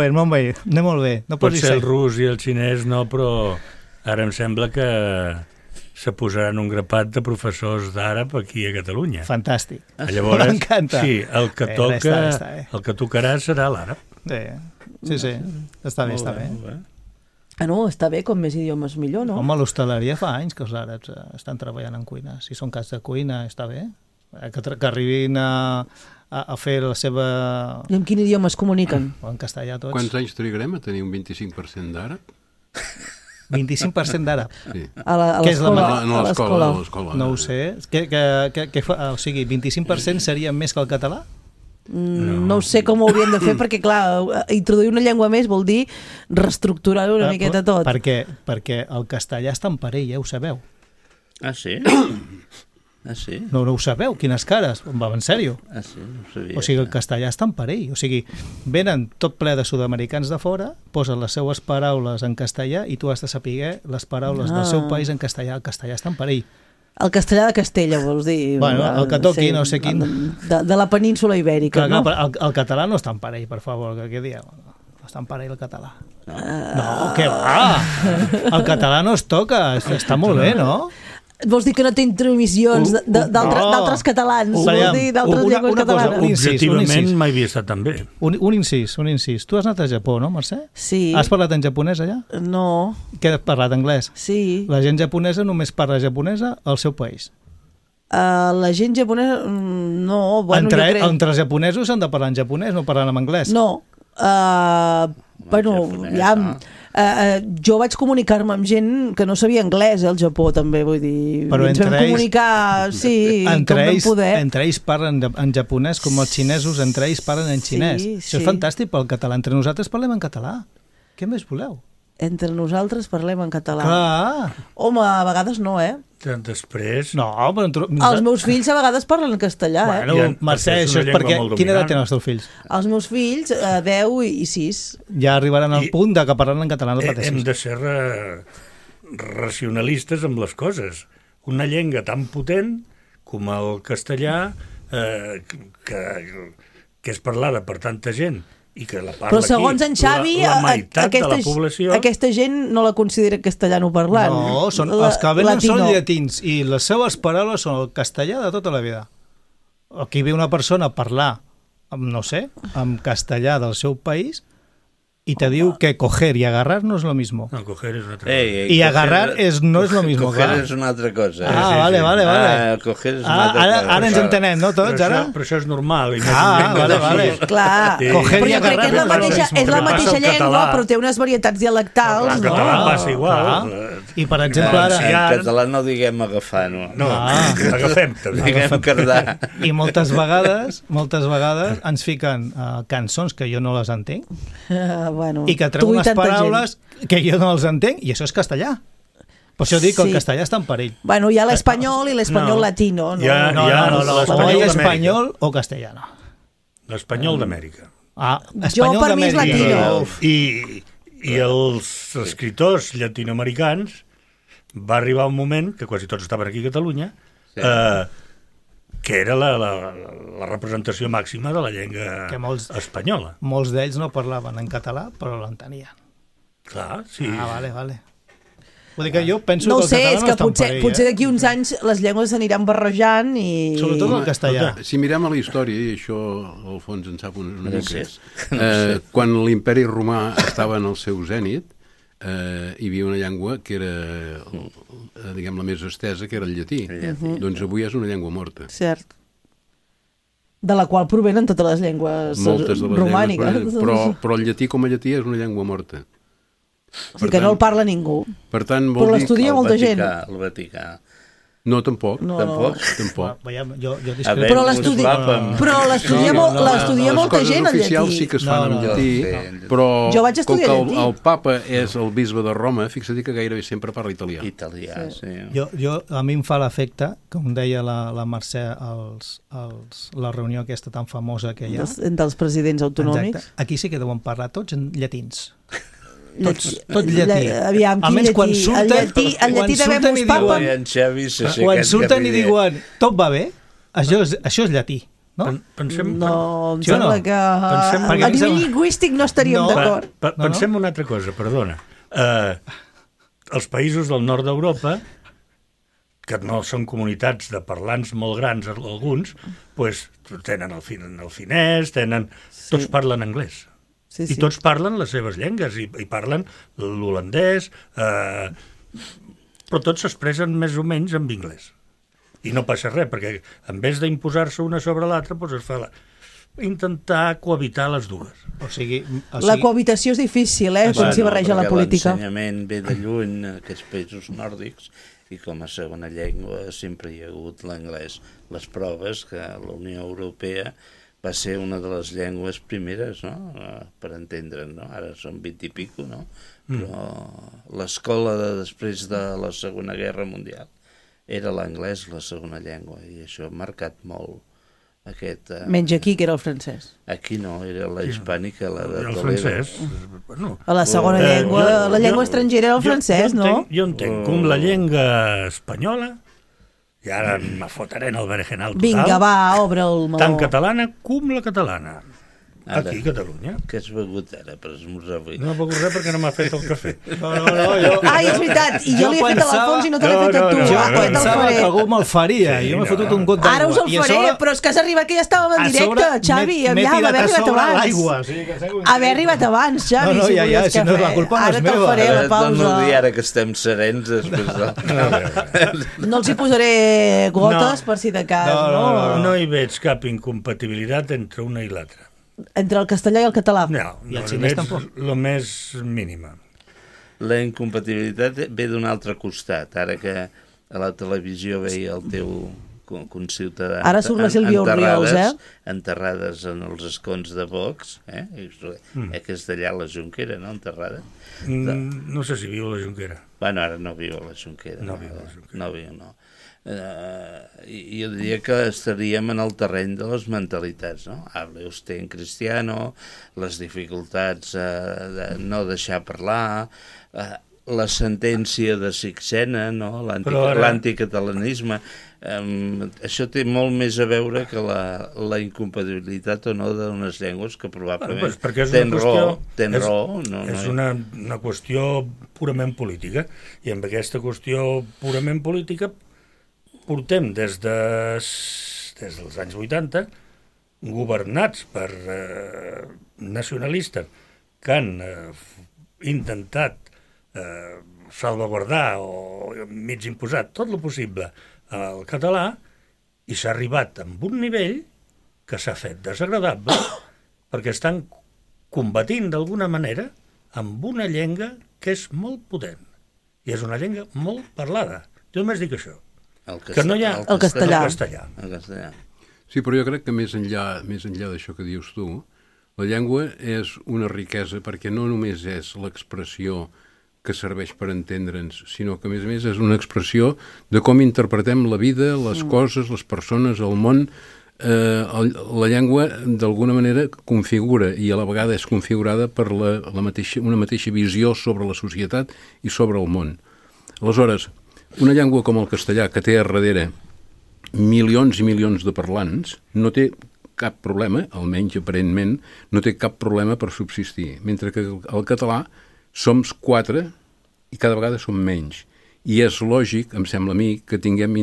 Speaker 4: bé.
Speaker 2: Pot ser el rus i el xinès, no, però ara em sembla que se posaran un grapat de professors d'àrab aquí a Catalunya.
Speaker 4: Fantàstic.
Speaker 2: Llavors,
Speaker 4: m'encanta.
Speaker 2: Sí, el que tocarà serà l'àrab.
Speaker 4: Sí, està bé.
Speaker 1: No, està bé, com més idiomes millor, no?
Speaker 4: Home, l'hostaleria fa anys que els àrabs estan treballant en cuina. Si són cas de cuina, està bé. Que arribin a fer la seva...
Speaker 1: I en quin idioma es comuniquen?
Speaker 4: En castellà tots.
Speaker 7: Quants anys trigarem a tenir un 25% d'àrab?
Speaker 4: 25% d'àrab?
Speaker 7: Sí.
Speaker 1: A l'escola.
Speaker 4: No ho sé. O sigui, 25% seria més que el català?
Speaker 1: No sé com ho hauríem de fer perquè, clar, introduir una llengua més vol dir reestructurar una miqueta tot.
Speaker 4: Perquè el castellà està en perill, ho sabeu?
Speaker 3: Ah, sí?
Speaker 4: No ho sabeu? Quines cares? Va, en sèrio?
Speaker 3: Ah, sí? No ho sabia.
Speaker 4: O sigui, el castellà està en perill. O sigui, venen tot ple de sud-americans de fora, posen les seues paraules en castellà i tu has de saber les paraules del seu país en castellà. El castellà està en perill.
Speaker 1: El castellà de Castella, vols dir?
Speaker 4: Bueno, el que toqui, no sé quin...
Speaker 1: De la península ibèrica, no?
Speaker 4: El català no està en parell, per favor, què dieu? No està en parell el català. No, què va? El català no es toca, està molt bé, no?
Speaker 1: Vols dir que no té intromissions d'altres catalans? Vols dir d'altres llengües catalanes?
Speaker 2: Objectivament mai havia estat tan bé.
Speaker 4: Un incís. Tu has anat a Japó, no, Mercè?
Speaker 1: Sí.
Speaker 4: Has parlat en japonès allà?
Speaker 1: No.
Speaker 4: Què has parlat, anglès?
Speaker 1: Sí.
Speaker 4: La gent japonesa només parla japonesa al seu país.
Speaker 1: La gent japonesa... No, bueno, jo crec...
Speaker 4: Entre els japonesos s'han de parlar en japonès, no parlant en anglès.
Speaker 1: No. Bueno, ja... jo vaig comunicar-me amb gent que no sabia anglès, al Japó també, vull dir,
Speaker 4: però
Speaker 1: ens vam comunicar, sí, com vam poder.
Speaker 4: Entre ells parlen en japonès, com els xinesos, entre ells parlen en xinès. Això és fantàstic pel català. Entre nosaltres parlem en català. Què més voleu?
Speaker 1: Entre nosaltres parlem en català.
Speaker 4: Clar.
Speaker 1: Home, a vegades no,
Speaker 2: Després...
Speaker 4: No, però...
Speaker 1: Els meus fills a vegades parlen en castellà,
Speaker 4: Bueno, Mercè, això és perquè... Quina edat tenen els teus fills?
Speaker 1: Els meus fills, 10 i 6.
Speaker 4: Ja arribaran al punt de que parlen en català, no pateixis.
Speaker 2: Hem de ser racionalistes amb les coses. Una llengua tan potent com el castellà, que és parlada per tanta gent, i que la parla
Speaker 1: però segons en Xavi,
Speaker 2: la meitat de la població...
Speaker 1: Aquesta gent no la considera castellano parlant.
Speaker 4: No, els que venen són llatins i les seves paraules són el castellà de tota la vida. Aquí ve una persona a parlar, no sé, en castellà del seu país y te diu que coger y agarrar no es lo mismo.
Speaker 2: No, coger es otra cosa.
Speaker 4: Y agarrar no es lo mismo.
Speaker 3: Coger és una altra cosa.
Speaker 4: Vale.
Speaker 3: Coger és una altra cosa.
Speaker 4: Ara ens entenem, no, tots, ara?
Speaker 2: Però això és normal.
Speaker 4: Vale.
Speaker 1: Clar,
Speaker 4: coger
Speaker 1: però jo crec que és la mateixa llengua, però té unes varietats dialectals.
Speaker 2: El català passa igual.
Speaker 4: I, per exemple, ara...
Speaker 3: En català no diguem agafar, no.
Speaker 2: No, agafem.
Speaker 3: Diguem cardar.
Speaker 4: I moltes vegades ens fiquen cançons que jo no les entenc,
Speaker 1: bueno,
Speaker 4: i que treu unes paraules que jo no els entenc, i això és castellà. Per això dic que el castellà està en perill.
Speaker 1: Bueno, hi ha l'espanyol i l'espanyol latino.
Speaker 4: No, o espanyol o castellano.
Speaker 2: L'espanyol d'Amèrica.
Speaker 1: Jo, per mi, és latino.
Speaker 2: I els escriptors llatinoamericans va arribar un moment, que quasi tots estaven aquí a Catalunya, que era la representació màxima de la llengua espanyola.
Speaker 4: Molts d'ells no parlaven en català, però l'entenien.
Speaker 2: Clar, sí.
Speaker 4: Vale. Vull dir que jo penso
Speaker 1: No ho
Speaker 4: que
Speaker 1: sé,
Speaker 4: el
Speaker 1: és
Speaker 4: català
Speaker 1: que
Speaker 4: no està en perill.
Speaker 1: potser d'aquí uns anys les llengües s'aniran barrejant i...
Speaker 4: Sobretot el castellà.
Speaker 7: Si mirem a la història, i això al fons en sap una mica, quan l'imperi romà estava en el seu zènit, hi havia una llengua que era, diguem, la més estesa, que era el llatí. Doncs avui és una llengua morta.
Speaker 1: Cert. De la qual provenen totes les llengües
Speaker 7: Moltes de les
Speaker 1: romàniques.
Speaker 7: llengües, però el llatí com a llatí és una llengua morta.
Speaker 1: O sigui que no el parla ningú.
Speaker 7: Per tant,
Speaker 1: Però
Speaker 7: vol dir...
Speaker 1: l'estudia molta gent.
Speaker 3: El Vaticà.
Speaker 7: No, tampoc.
Speaker 1: No.
Speaker 7: Tampoc.
Speaker 4: Jo
Speaker 1: Però l'estudia molta gent, el
Speaker 7: oficials
Speaker 1: llatí.
Speaker 7: sí que es fan en llatí, però
Speaker 1: Jo vaig
Speaker 7: com
Speaker 1: estudiar
Speaker 7: que
Speaker 1: llatí.
Speaker 7: el papa és el bisbe de Roma, fixa't que gairebé sempre parla italià.
Speaker 3: Italià, sí.
Speaker 4: A mi em fa l'efecte, com deia la Mercè, la reunió aquesta tan famosa que hi ha.
Speaker 1: Entre els presidents autonòmics.
Speaker 4: Exacte. Aquí sí que deuen parlar tots en llatins.
Speaker 1: Tot
Speaker 4: llatí.
Speaker 1: Aviam, quin
Speaker 4: Almenys quan
Speaker 1: llatí?
Speaker 4: surten,
Speaker 1: El llatí de Bemus Papa.
Speaker 4: Quan surten i diuen tot va bé, això és llatí. No?
Speaker 2: Pensem,
Speaker 1: No, em
Speaker 4: Sí o no?
Speaker 1: sembla que
Speaker 2: Pensem-
Speaker 1: a nivell lingüístic no estaríem
Speaker 4: No.
Speaker 1: d'acord.
Speaker 2: Pensem una altra cosa, perdona. Els països del nord d'Europa, que no són comunitats de parlants molt grans, alguns, pues, tenen el finès, tots parlen anglès.
Speaker 1: Sí,
Speaker 2: I tots parlen les seves llengües, i parlen l'holandès, però tots s'expressen més o menys en anglès. I no passa res, perquè en vez d'imposar-se una sobre l'altra, doncs es fa intentar cohabitar les dues.
Speaker 4: O sigui,
Speaker 1: La cohabitació és difícil, quan s'hi barreja la política.
Speaker 3: L'ensenyament ve de lluny en aquests països nòrdics i com a segona llengua sempre hi ha hagut l'anglès. Les proves que la Unió Europea va ser una de les llengües primeres, no?, per entendre'n, no? Ara són 20 i pico, no? Però l'escola després de la Segona Guerra Mundial era l'anglès la segona llengua, i això ha marcat molt aquest...
Speaker 1: Menys aquí, que era el francès.
Speaker 3: Aquí no, era la hispànica, la de
Speaker 2: El
Speaker 3: Toledo.
Speaker 2: francès, bueno...
Speaker 1: A la segona llengua, la llengua estrangera era el francès, no?
Speaker 2: Jo entenc com la llengua espanyola, i ara me fotré en el berenjenal total,
Speaker 1: Vinga, va, obre el meló.
Speaker 2: tant catalana com la catalana.
Speaker 3: Ara.
Speaker 2: Aquí, a Catalunya.
Speaker 3: Què has begut ara per esmorzar avui?
Speaker 2: No he begut res perquè no m'ha fet el cafè.
Speaker 4: No, jo...
Speaker 1: Ai, és veritat, i jo l'he fet a l'Alfons i no te l'he fet a tu.
Speaker 2: No,
Speaker 1: Quan te'l
Speaker 4: Pensava
Speaker 1: faré?
Speaker 4: que algú me'l faria,
Speaker 2: Sí,
Speaker 4: jo m'he
Speaker 2: no.
Speaker 4: fotut un got d'aigua.
Speaker 1: Ara us el
Speaker 4: I a
Speaker 1: faré,
Speaker 4: sobre-
Speaker 1: però és que has arribat que ja estàvem en
Speaker 4: a sobre
Speaker 1: directe, Xavi,
Speaker 4: m'he
Speaker 1: aviam,
Speaker 4: tirat
Speaker 1: haver
Speaker 4: a
Speaker 1: arribat
Speaker 4: sobre
Speaker 1: abans.
Speaker 4: l'aigua, o sigui que seguo
Speaker 1: Haver arribat abans, Xavi,
Speaker 4: No,
Speaker 1: si
Speaker 4: ja,
Speaker 1: volies
Speaker 4: si no,
Speaker 1: cafè.
Speaker 4: la culpa no és
Speaker 1: Ara te'l
Speaker 4: meva.
Speaker 1: faré a la
Speaker 3: No
Speaker 1: pausa.
Speaker 3: dir ara que estem serens després de...
Speaker 1: No els hi posaré gotes per si de cas, no?
Speaker 2: No hi veig cap incompatibilitat entre una i l'altra.
Speaker 1: Entre el castellà i el català.
Speaker 2: No,
Speaker 4: I el
Speaker 2: no
Speaker 4: xinès
Speaker 2: veig
Speaker 4: tampoc.
Speaker 2: lo més mínima.
Speaker 3: La incompatibilitat ve d'un altre costat. Ara que a la televisió veia el teu conciutadà...
Speaker 1: Ara surt la Sílvia Orriols,
Speaker 3: enterrades en els escons de Vox, que és d'allà a la Jonquera, no?, enterrada.
Speaker 2: No sé si viu a la Jonquera.
Speaker 3: Bueno, ara no viu a la Jonquera.
Speaker 2: No viu a la Jonquera.
Speaker 3: No viu, no. Jo diria que estaríem en el terreny de les mentalitats, no? Hable usted en cristiano, les dificultats de no deixar parlar, la sentència de Sixena, no? L'anticatalanisme. Això té molt més a veure que la incompatibilitat o no d'unes llengües que probablement tenen raó.
Speaker 2: És una qüestió purament política, i amb aquesta qüestió purament política portem des dels anys 80 governats per nacionalistes que han intentat salvaguardar o mig imposar tot el possible al català, i s'ha arribat amb un nivell que s'ha fet desagradable perquè estan combatint d'alguna manera amb una llengua que és molt potent i és una llengua molt parlada. Jo només dic això. Que no hi ha
Speaker 1: el castellà.
Speaker 3: El castellà.
Speaker 7: Sí, però jo crec que més enllà d'això que dius tu, la llengua és una riquesa perquè no només és l'expressió que serveix per entendre'ns, sinó que, a més és una expressió de com interpretem la vida, les coses, les persones, el món. la llengua d'alguna manera configura i a la vegada és configurada per una mateixa visió sobre la societat i sobre el món. Aleshores, una llengua com el castellà, que té a darrere milions i milions de parlants, no té cap problema, almenys aparentment, no té cap problema per subsistir, mentre que el català som 4 i cada vegada som menys. I és lògic, em sembla a mi, que tinguem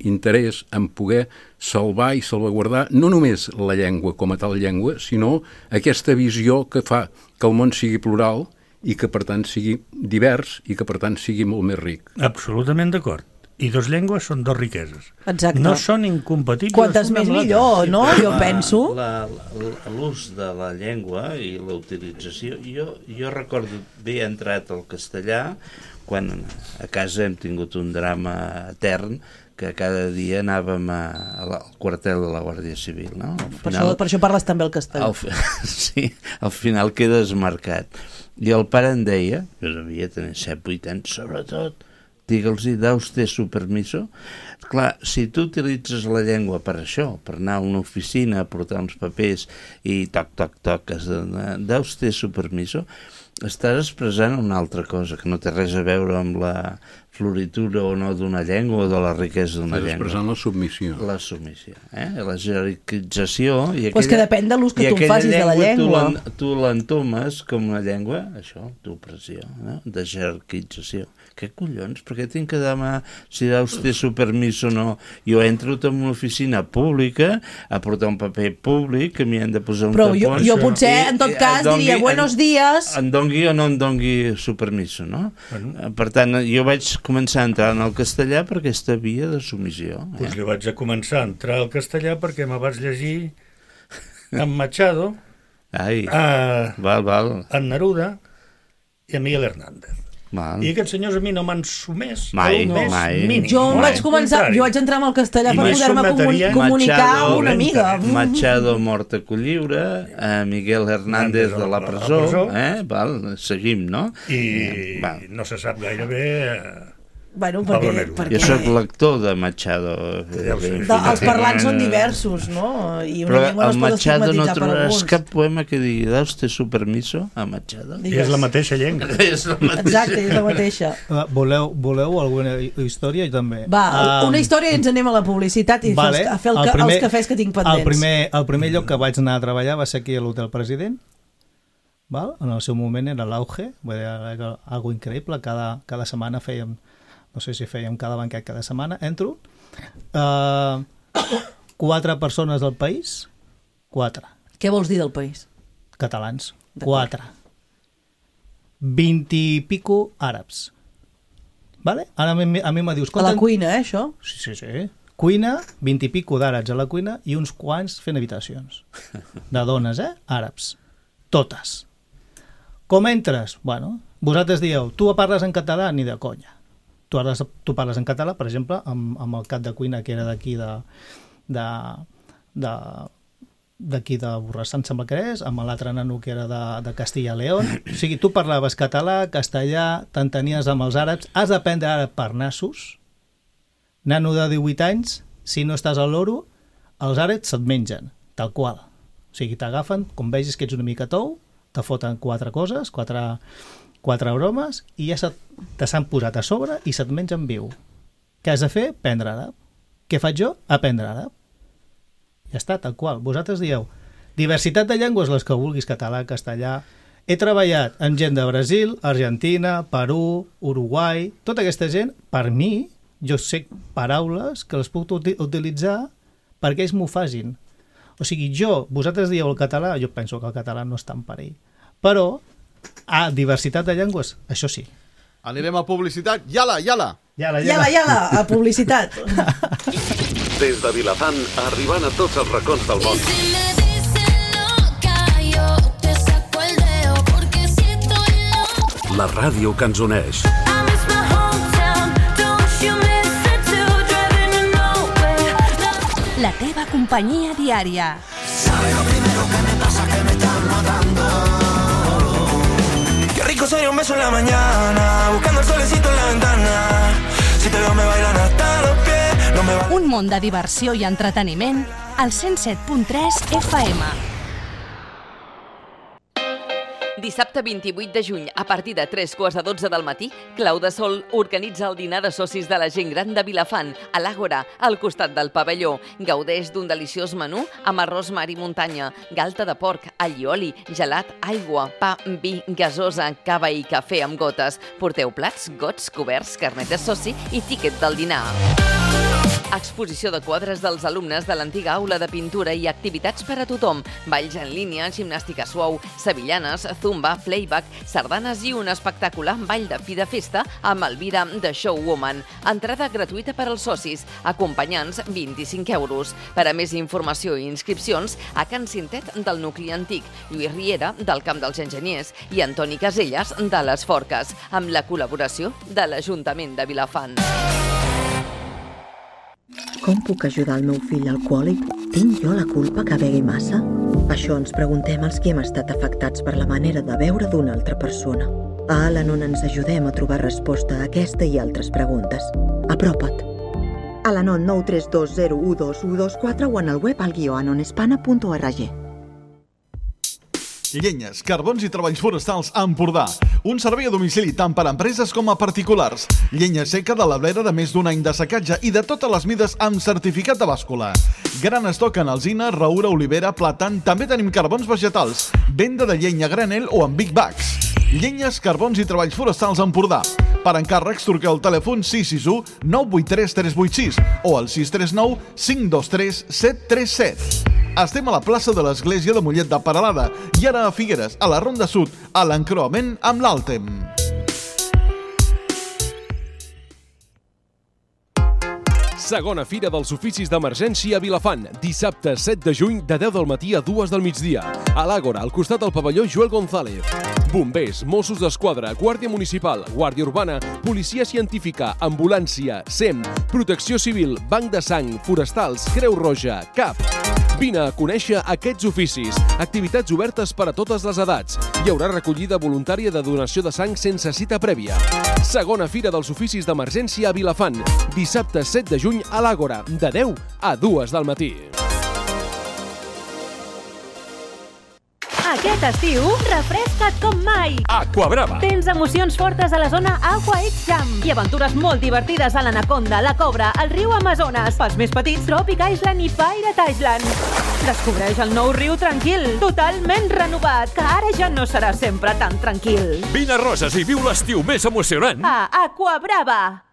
Speaker 7: interès en poder salvar i salvaguardar no només la llengua com a tal llengua, sinó aquesta visió que fa que el món sigui plural i que, per tant, sigui divers i que, per tant, sigui molt més ric.
Speaker 2: Absolutament d'acord. I dos llengües són dos riqueses.
Speaker 1: Exacte.
Speaker 2: No són incompatibles.
Speaker 1: Quantes més millor, no? Jo penso.
Speaker 3: L'ús de la llengua i la utilització... Jo recordo haver entrat al castellà quan a casa hem tingut un drama etern que cada dia anàvem al quartel de la Guàrdia Civil, no?
Speaker 1: Per això parles també el castellà.
Speaker 3: Sí, al final quedes marcat. I el pare em deia, jo devia tenir 7-8 anys, sobretot, digue'ls-hi, da usted su permiso. Clar, si tu utilitzes la llengua per això, per anar a una oficina, a portar uns papers i toc, da usted su permiso, estàs expressant una altra cosa, que no té res a veure amb la floritura o no d'una llengua o de la riquesa d'una llengua.
Speaker 7: Estàs expressant la submissió.
Speaker 3: La submissió, la jerarquització...
Speaker 1: Pues que depèn de l'ús que tu facis de la llengua.
Speaker 3: Tu l'entomes com una llengua, això, d'opressió, no? De jerarquització. Què collons? Per què tinc que demanar si da usted su permiso o no? Jo entro en una oficina pública a portar un paper públic que m'hi han de posar un tapó.
Speaker 1: Però jo potser, en tot cas, diria buenos días...
Speaker 3: Em dongui o no em dongui su permiso, no? Per tant, jo vaig començar a entrar en el castellà per aquesta via de submissió.
Speaker 2: Doncs jo vaig a començar a entrar al castellà perquè me vaig llegir en Machado, en Neruda i en Miguel Hernández.
Speaker 3: Val.
Speaker 2: I aquests senyors a mi no m'han sumès
Speaker 3: mai.
Speaker 2: Mínim.
Speaker 1: Jo vaig entrar amb el castellà per poder-me comunicar amb una amiga.
Speaker 3: Machado mort a Colliure, Miguel Hernández de la presó. Seguim, no?
Speaker 2: I no se sap gaire bé...
Speaker 1: Bueno,
Speaker 3: perquè... Jo soc lector de Machado.
Speaker 1: Els parlants són diversos, no? I una llengua no es pot estigmatitzar per alguns. Però el Machado no trobaràs cap poema que digui da usted su permiso a Machado.
Speaker 2: I és la mateixa llengua.
Speaker 1: Exacte, és la mateixa.
Speaker 4: Voleu alguna història? També.
Speaker 1: Va, una història i ens anem a la publicitat i a fer els cafès que tinc pendents.
Speaker 4: El primer lloc que vaig anar a treballar va ser aquí a l'Hotel President. En el seu moment era l'auge, era algo increïble. Cada setmana fèiem... No sé si fèiem cada banquet cada setmana, entro. 4 persones del país, 4.
Speaker 1: Què vols dir del país?
Speaker 4: Catalans, 4. 20 i pico àrabs. Vale? Ara a mi me dius...
Speaker 1: A la cuina, això?
Speaker 4: Sí. Cuina, 20 i pico d'àrabs a la cuina i uns quants fent habitacions. De dones, àrabs. Totes. Com entres? Bueno, vosaltres dieu, tu parles en català ni de conya. Tu parles en català, per exemple, amb el cap de cuina que era d'aquí d'aquí de Borrassà, em sembla que és, amb l'altre nano que era de Castilla y León. O sigui, tu parlaves català, castellà, t'entenies amb els àrabs, has d'aprendre àrab per nassos. Nano de 18 anys, si no estàs al loro, els àrabs se't mengen, tal qual. O sigui, t'agafen, com vegis que ets una mica tou, te foten 4 coses, 4 bromes, i ja te s'han posat a sobre i se't mengen viu. Què has de fer? Aprendre àrab. Què faig jo? Aprendre àrab. Ja està, tal qual. Vosaltres dieu, diversitat de llengües, les que vulguis, català, castellà. He treballat amb gent de Brasil, Argentina, Perú, Uruguai, tota aquesta gent, per mi, jo sé paraules que les puc utilitzar perquè ells m'ho facin. O sigui, vosaltres dieu el català, jo penso que el català no està en perill. Però, diversitat de llengües, això sí.
Speaker 5: Anirem a publicitat. Yala,
Speaker 1: a publicitat.
Speaker 8: Des de Vilafant, arribant a tots els racons del món. La ràdio que ens uneix.
Speaker 9: La teva companyia diària.
Speaker 10: ¿Sabes lo primero que me pasa? Que me están matando. Qué rico sería un beso en la mañana, buscando el solecito en la ventana. Si te veo me bailan hasta los pies.
Speaker 9: Un món de diversió i entreteniment al 107.3 FM.
Speaker 11: Dissabte 28 de juny, a partir de 3:45 del matí, Clau de Sol organitza el dinar de socis de la gent gran de Vilafant, a l'Àgora, al costat del pavelló. Gaudeix d'un deliciós menú amb arròs, mar i muntanya, galta de porc, allioli, gelat, aigua, pa, vi, gasosa, cava i cafè amb gotes. Porteu plats, gots, coberts, carnet de soci i tíquet del dinar. Exposició de quadres dels alumnes de l'antiga aula de pintura i activitats per a tothom. Balls en línia, gimnàstica suau, sevillanes, zumba, playback, sardanes i un espectacular ball de fi de festa amb Elvira de Showwoman. Entrada gratuïta per als socis, acompanyants 25 €. Per a més informació i inscripcions, a Can Cintet del nucli antic, Lluís Riera del Camp dels Enginyers i Antoni Caselles de les Forques, amb la col·laboració de l'Ajuntament de Vilafant.
Speaker 12: Com puc ajudar el meu fill alcohòlic? Tinc jo la culpa que begui massa? Això ens preguntem els que hem estat afectats per la manera de beure d'una altra persona. A Al-Anon ens ajudem a trobar resposta a aquesta i altres preguntes. Apropa't. Al-Anon 932012124 o en el web al-anonespana.org.
Speaker 5: Llenyes, carbons i treballs forestals a Empordà. Un servei a domicili tant per a empreses com a particulars. Llenya seca de la blera de més d'un any de secatge i de totes les mides amb certificat de bàscula. Gran estoc en alzina, roure, olivera, plàtan. També tenim carbons vegetals. Venda de llenya a granel o en big bags. Llenyes, carbons i treballs forestals a Empordà. Per encàrrecs, truqueu al telèfon 661 983 386 o al 639 523 737. Estem a la plaça de l'Església de Mollet de Peralada i ara a Figueres, a la Ronda Sud, a l'encreuament amb l'Àltem.
Speaker 13: Segona Fira dels Oficis d'Emergència a Vilafant, dissabte 7 de juny de 10 del matí a 2 del migdia. A l'Àgora, al costat del pavelló Joel González. Bombers, Mossos d'Esquadra, Guàrdia Municipal, Guàrdia Urbana, Policia Científica, Ambulància, SEM, Protecció Civil, Banc de Sang, Forestals, Creu Roja, CAP. Vine a conèixer aquests oficis. Activitats obertes per a totes les edats. Hi haurà recollida voluntària de donació de sang sense cita prèvia. Segona Fira dels Oficis d'Emergència a Vilafant, dissabte 7 de juny a l'Àgora, de 10 a 2 del matí.
Speaker 14: Aquest estiu, refresca't com mai!
Speaker 13: Aquabrava!
Speaker 14: Tens emocions fortes a la zona Aqua X Jam i aventures molt divertides a l'Anaconda, la Cobra, el riu Amazones, pels més petits, Tropic Island i Pirate Island. Descobreix el nou riu tranquil, totalment renovat, que ara ja no serà sempre tan tranquil.
Speaker 13: Vine a Roses i viu l'estiu més emocionant
Speaker 14: a Aquabrava!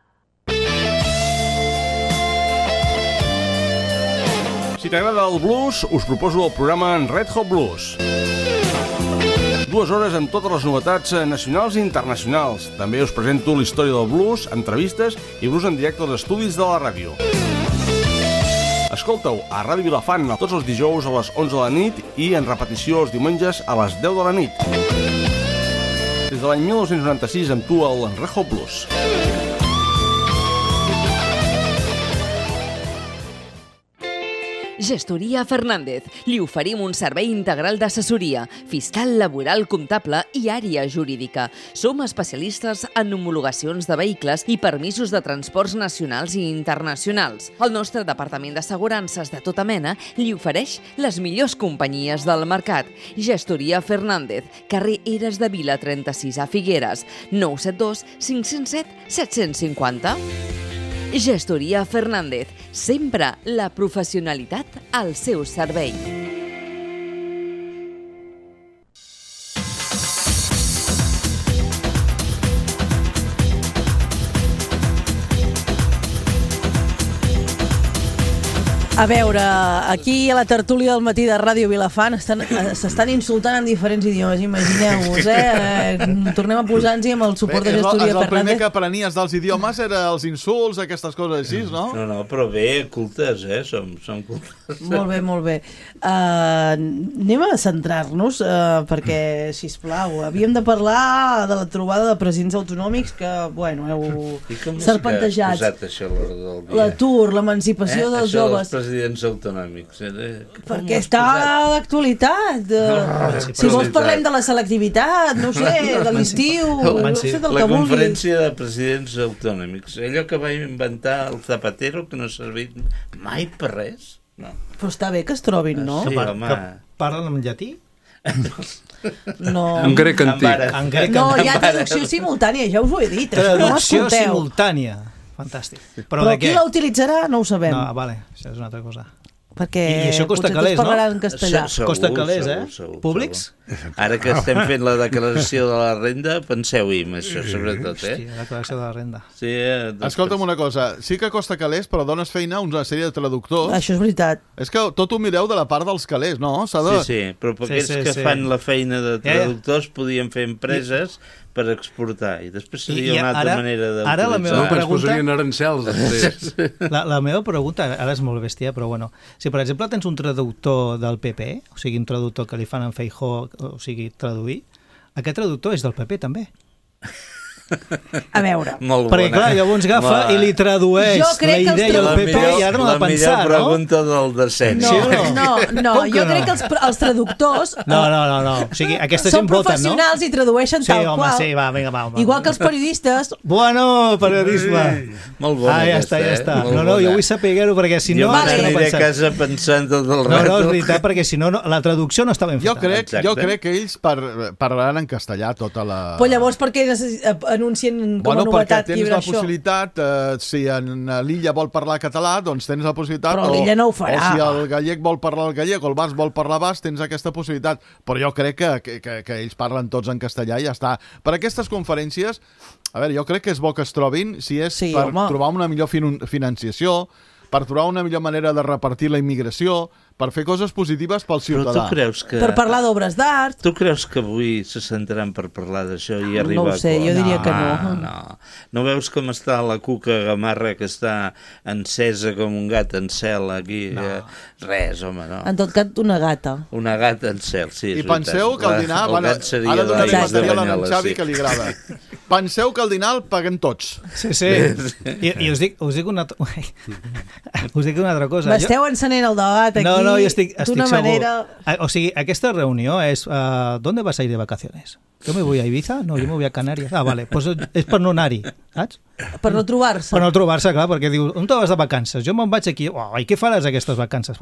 Speaker 15: Si t'agrada el blues, us proposo el programa en Red Hot Blues. 2 hores amb totes les novetats nacionals i internacionals. També us presento la història del blues, entrevistes i blues en directe als estudis de la ràdio. Escolta-ho a Ràdio Vilafant tots els dijous a les 11 de la nit i en repetició els diumenges a les 10 de la nit. Des de l'any 1996 amb tu al Red Hot Blues.
Speaker 11: Gestoria Fernández. Li oferim un servei integral d'assessoria, fiscal, laboral, comptable i àrea jurídica. Som especialistes en homologacions de vehicles i permisos de transports nacionals i internacionals. El nostre departament d'assegurances de tota mena li ofereix les millors companyies del mercat. Gestoria Fernández, carrer Eres de Vila 36 a Figueres, 972 507 750. Gestoria Fernández, sempre la professionalitat al seu servei.
Speaker 1: A veure, aquí a la tertúlia del matí de Ràdio Vilafant s'estan insultant en diferents idiomes, imagineu-vos, Tornem a posar-nos-hi amb el suport de Gestoria Fernández.
Speaker 5: El primer que aprenies dels idiomes era els insults, aquestes coses així, no?
Speaker 3: No, però bé, cultes, som cultes.
Speaker 1: Molt bé, molt bé. Anem a centrar-nos, perquè, sisplau, havíem de parlar de la trobada de presidents autonòmics que, bueno, heu serpentejat.
Speaker 3: I com és que ha posat això a l'hora del dia?
Speaker 1: L'atur, l'emancipació dels joves.
Speaker 3: presidents autonòmics?
Speaker 1: Perquè està d'actualitat. Si vols parlem de la selectivitat, no sé, de l'estiu, no sé del que vulgui.
Speaker 3: La conferència de presidents autonòmics. Allò que va inventar el Zapatero, que no ha servit mai per res. No.
Speaker 1: Però està bé que es trobin, no?
Speaker 3: Sí, home.
Speaker 4: Que parlen en llatí?
Speaker 1: No.
Speaker 7: En grec antic.
Speaker 1: No, hi ha traducció simultània, ja us ho he dit.
Speaker 4: Traducció simultània. Fantàstic.
Speaker 1: Però qui la utilitzarà no ho sabem.
Speaker 4: No, vale, això és una altra cosa.
Speaker 1: Perquè
Speaker 4: I això costa calés, no?
Speaker 1: parlaran en castellà.
Speaker 4: Costa calés, Públics?
Speaker 3: Ara que estem fent la declaració de la renda, penseu-hi en això, sobretot,
Speaker 4: Hòstia, la declaració de la renda.
Speaker 3: Sí,
Speaker 5: escolta'm una cosa, sí que costa calés, però dones feina a una sèrie de traductors.
Speaker 1: Això és veritat.
Speaker 5: És que tot ho mireu de la part dels calés, no?
Speaker 3: Sí, però per aquells que fan la feina de traductors podien fer empreses per exportar, i després seria una altra manera d'utilitzar.
Speaker 7: Ara la meva pregunta... posarien arancels, després.
Speaker 4: La meva pregunta, ara és molt bèstia, però bueno, si per exemple tens un traductor del PP, o sigui, un traductor que li fan en Feijóo, o sigui, traduir, aquest traductor és del PP també.
Speaker 1: A veure.
Speaker 4: Perquè clar, llavors agafa i li tradueix la idea al PP i ara no l'ha pensat, no?
Speaker 3: La millor pregunta del descens.
Speaker 1: No, jo crec que els traductors
Speaker 4: No, o sigui, aquesta gent voten, no?
Speaker 1: Són professionals i tradueixen tal qual.
Speaker 4: Sí, va, vinga, va.
Speaker 1: Igual que els periodistes.
Speaker 4: Bueno, periodisme.
Speaker 3: Molt bona
Speaker 4: aquesta, ja està. No, jo vull saber-ho perquè si no...
Speaker 3: Jo m'aniré a casa pensant tot el rato.
Speaker 4: No, és veritat, perquè si no, la traducció no està ben feta.
Speaker 5: Jo crec que ells parlaran en castellà tota la...
Speaker 1: Però llavors per què anuncien com a novetat
Speaker 5: perquè tens la possibilitat, si en l'Illa vol parlar català, doncs tens la possibilitat,
Speaker 1: però l'Illa no ho farà.
Speaker 5: O si el gallec vol parlar el gallec o el basc vol parlar basc, tens aquesta possibilitat. Però jo crec que ells parlen tots en castellà i ja està. Per aquestes conferències, a veure, jo crec que és bo que es trobin, si és per trobar una millor financiació, per trobar una millor manera de repartir la immigració, per fer coses positives pel ciutadà.
Speaker 3: Però tu creus que...
Speaker 1: Per parlar d'obres d'art.
Speaker 3: Tu creus que avui se sentaran per parlar d'això i arribar a...
Speaker 1: No ho sé, jo diria que no.
Speaker 3: No veus com està la Cuca Gamarra, que està encesa com un gat en cel aquí? Res, home, no.
Speaker 1: En tot cas, una gata.
Speaker 3: Una gata en cel, sí, és
Speaker 5: veritat. I penseu que el dinar... Ara donaré material a en Xavi que li agrada. Penseu que el dinar el paguem tots.
Speaker 4: Sí. I us dic una altra cosa.
Speaker 1: M'esteu encenent el debat aquí.
Speaker 4: No, jo estic
Speaker 1: d'una manera...
Speaker 4: O sigui, aquesta reunió és... ¿Dónde vas a ir de vacaciones? Yo me voy a Ibiza? No, yo me voy a Canàries. Ah, vale, pues és per no anar-hi, saps?
Speaker 1: Per no trobar-se.
Speaker 4: Per no trobar-se, clar, perquè diu, on te vas de vacances? Jo me'n vaig aquí. I què faràs aquestes vacances?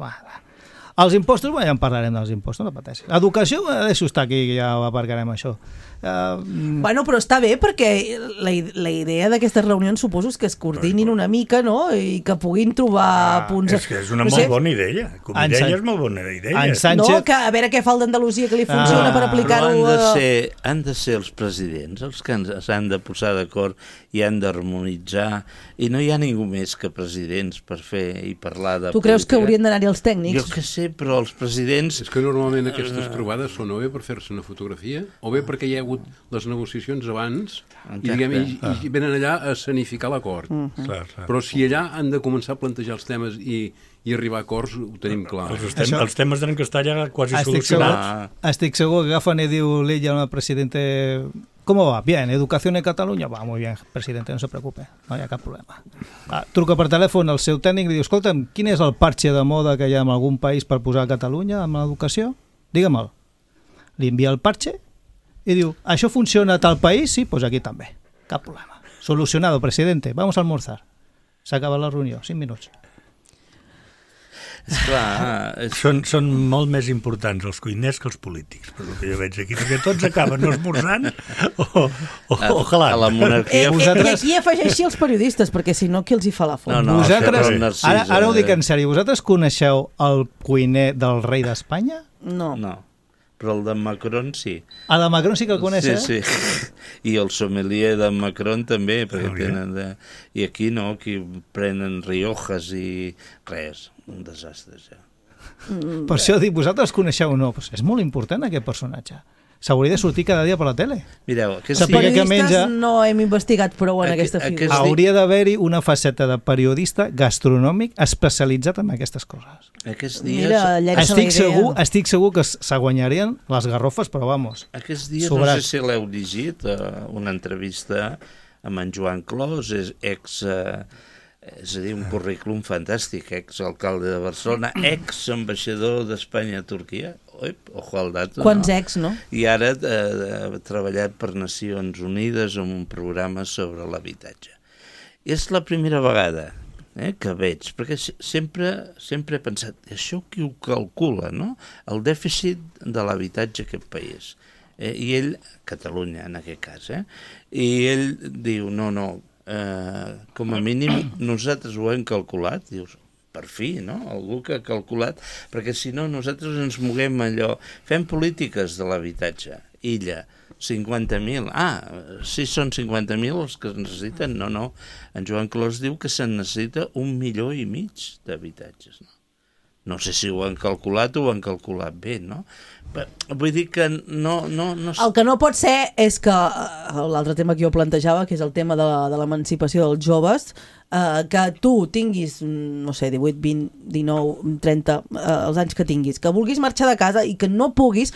Speaker 4: Els impostos, ja en parlarem dels impostos, no pateixis. Educació, deixo estar aquí, ja ho aparcarem això.
Speaker 1: Bueno, però està bé perquè la idea d'aquestes reunions suposo és que es coordinin una mica, no? I que puguin trobar punts...
Speaker 2: És que és una molt bona idea. Com a idea és molt bona idea.
Speaker 1: No, que a veure què fa el d'Andalusia que li funciona per aplicar-ho...
Speaker 3: Han de ser els presidents els que s'han de posar d'acord i han d'harmonitzar, i no hi ha ningú més que presidents per fer i parlar de política.
Speaker 1: Tu creus que haurien d'anar-hi els tècnics?
Speaker 3: Jo que sé, però els presidents...
Speaker 7: És que normalment aquestes trobades són o bé per fer-se una fotografia o bé perquè hi ha hagut les negociacions abans i venen allà a escenificar l'acord. Però si allà han de començar a plantejar els temes i arribar a acords, ho tenim clar.
Speaker 2: Els temes tenen que estar ja quasi solucionats.
Speaker 4: Estic segur que agafen i diu l'Illa al presidente... ¿Cómo va? Bien, educación en Catalunya? Va, muy bien, presidente, no se preocupe, no hi ha cap problema. Truca per telèfon al seu tècnic i diu, escolta'm, quin és el parche de moda que hi ha en algun país per posar a Catalunya amb l'educació? Digue'm-el. Li envia el parche i diu, això funciona a tal país? Sí, pues aquí també. Cap problema. Solucionado, presidente, vamos a almorzar. S'acaba la reunió, 5 minuts.
Speaker 3: Esclar,
Speaker 2: són molt més importants els cuiners que els polítics, per el que jo veig aquí, perquè tots acaben esmorzant o jalant.
Speaker 3: A la monarquia...
Speaker 1: I aquí afegeixi els periodistes, perquè si no, qui els hi fa la font?
Speaker 4: Vosaltres, ara ho dic en sèrio, vosaltres coneixeu el cuiner del rei d'Espanya?
Speaker 1: No.
Speaker 3: Però el de Macron sí.
Speaker 4: A la Macron sí que el coneixeu?
Speaker 3: Sí. I el sommelier de Macron també, perquè tenen I aquí no, aquí prenen riojas i res, un desastre ja.
Speaker 4: Per això dic, vosaltres coneixeu o no? Pues és molt important aquest personatge. S'hauria de sortir cada dia per la tele.
Speaker 3: Mireu,
Speaker 1: periodistes no hem investigat prou en aquesta figura.
Speaker 4: Hauria d'haver-hi una faceta de periodista gastronòmic especialitzat en aquestes coses.
Speaker 3: Aquests dies...
Speaker 4: Estic segur que se guanyarien les garrofes, però vamos.
Speaker 3: Aquests dies, no sé si l'heu llegit, una entrevista amb en Joan Clos, És a dir, un currículum fantàstic, exalcalde de Barcelona, exambaixador d'Espanya a Turquia, ojo al dato.
Speaker 1: Quants ex, no?
Speaker 3: I ara ha treballat per Nacions Unides en un programa sobre l'habitatge. És la primera vegada que veig, perquè sempre he pensat, això qui ho calcula, no? El dèficit de l'habitatge aquest país. I ell, Catalunya en aquest cas, i ell diu, no, com a mínim nosaltres ho hem calculat, dius, per fi, no? Algú que ha calculat, perquè si no nosaltres ens moguem allò, fem polítiques de l'habitatge, illa, 50.000, sí són 50.000 els que es necessiten, no, en Joan Clos diu que se'n necessita 1,5 milions d'habitatges, no? No sé si ho han calculat o ho han calculat bé, no? Vull dir que no...
Speaker 1: El que no pot ser és que l'altre tema que jo plantejava, que és el tema de l'emancipació dels joves, que tu tinguis, no sé, 18, 20, 19, 30, els anys que tinguis, que vulguis marxar de casa i que no puguis,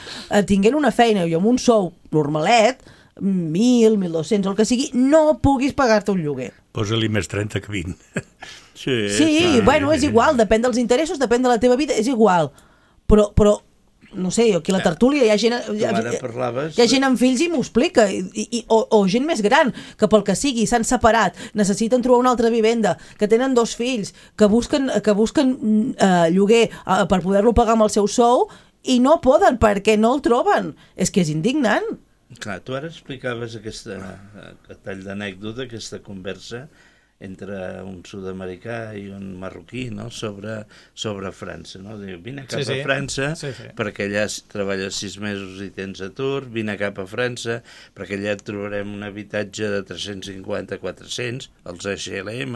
Speaker 1: tinguent una feina i amb un sou normalet, 1.000, 1.200, el que sigui, no puguis pagar-te un lloguer.
Speaker 2: Posa-li més 30 que 20.
Speaker 1: Sí, bueno, és igual, depèn dels interessos, depèn de la teva vida, és igual. Però no sé, aquí a la tertúlia hi ha gent... Hi ha gent amb fills i m'ho explica, o gent més gran, que pel que sigui s'han separat, necessiten trobar una altra vivenda, que tenen 2 fills, que busquen lloguer per poder-lo pagar amb el seu sou, i no poden perquè no el troben. És que és indignant.
Speaker 3: Clar, tu ara explicaves aquest tall d'anècdota, aquesta conversa entre un sud-americà i un marroquí, no? sobre França, no? Diu, vine cap a França perquè allà treballes 6 mesos i tens atur, vine cap a França perquè allà et trobarem un habitatge de 350-400, els HLM.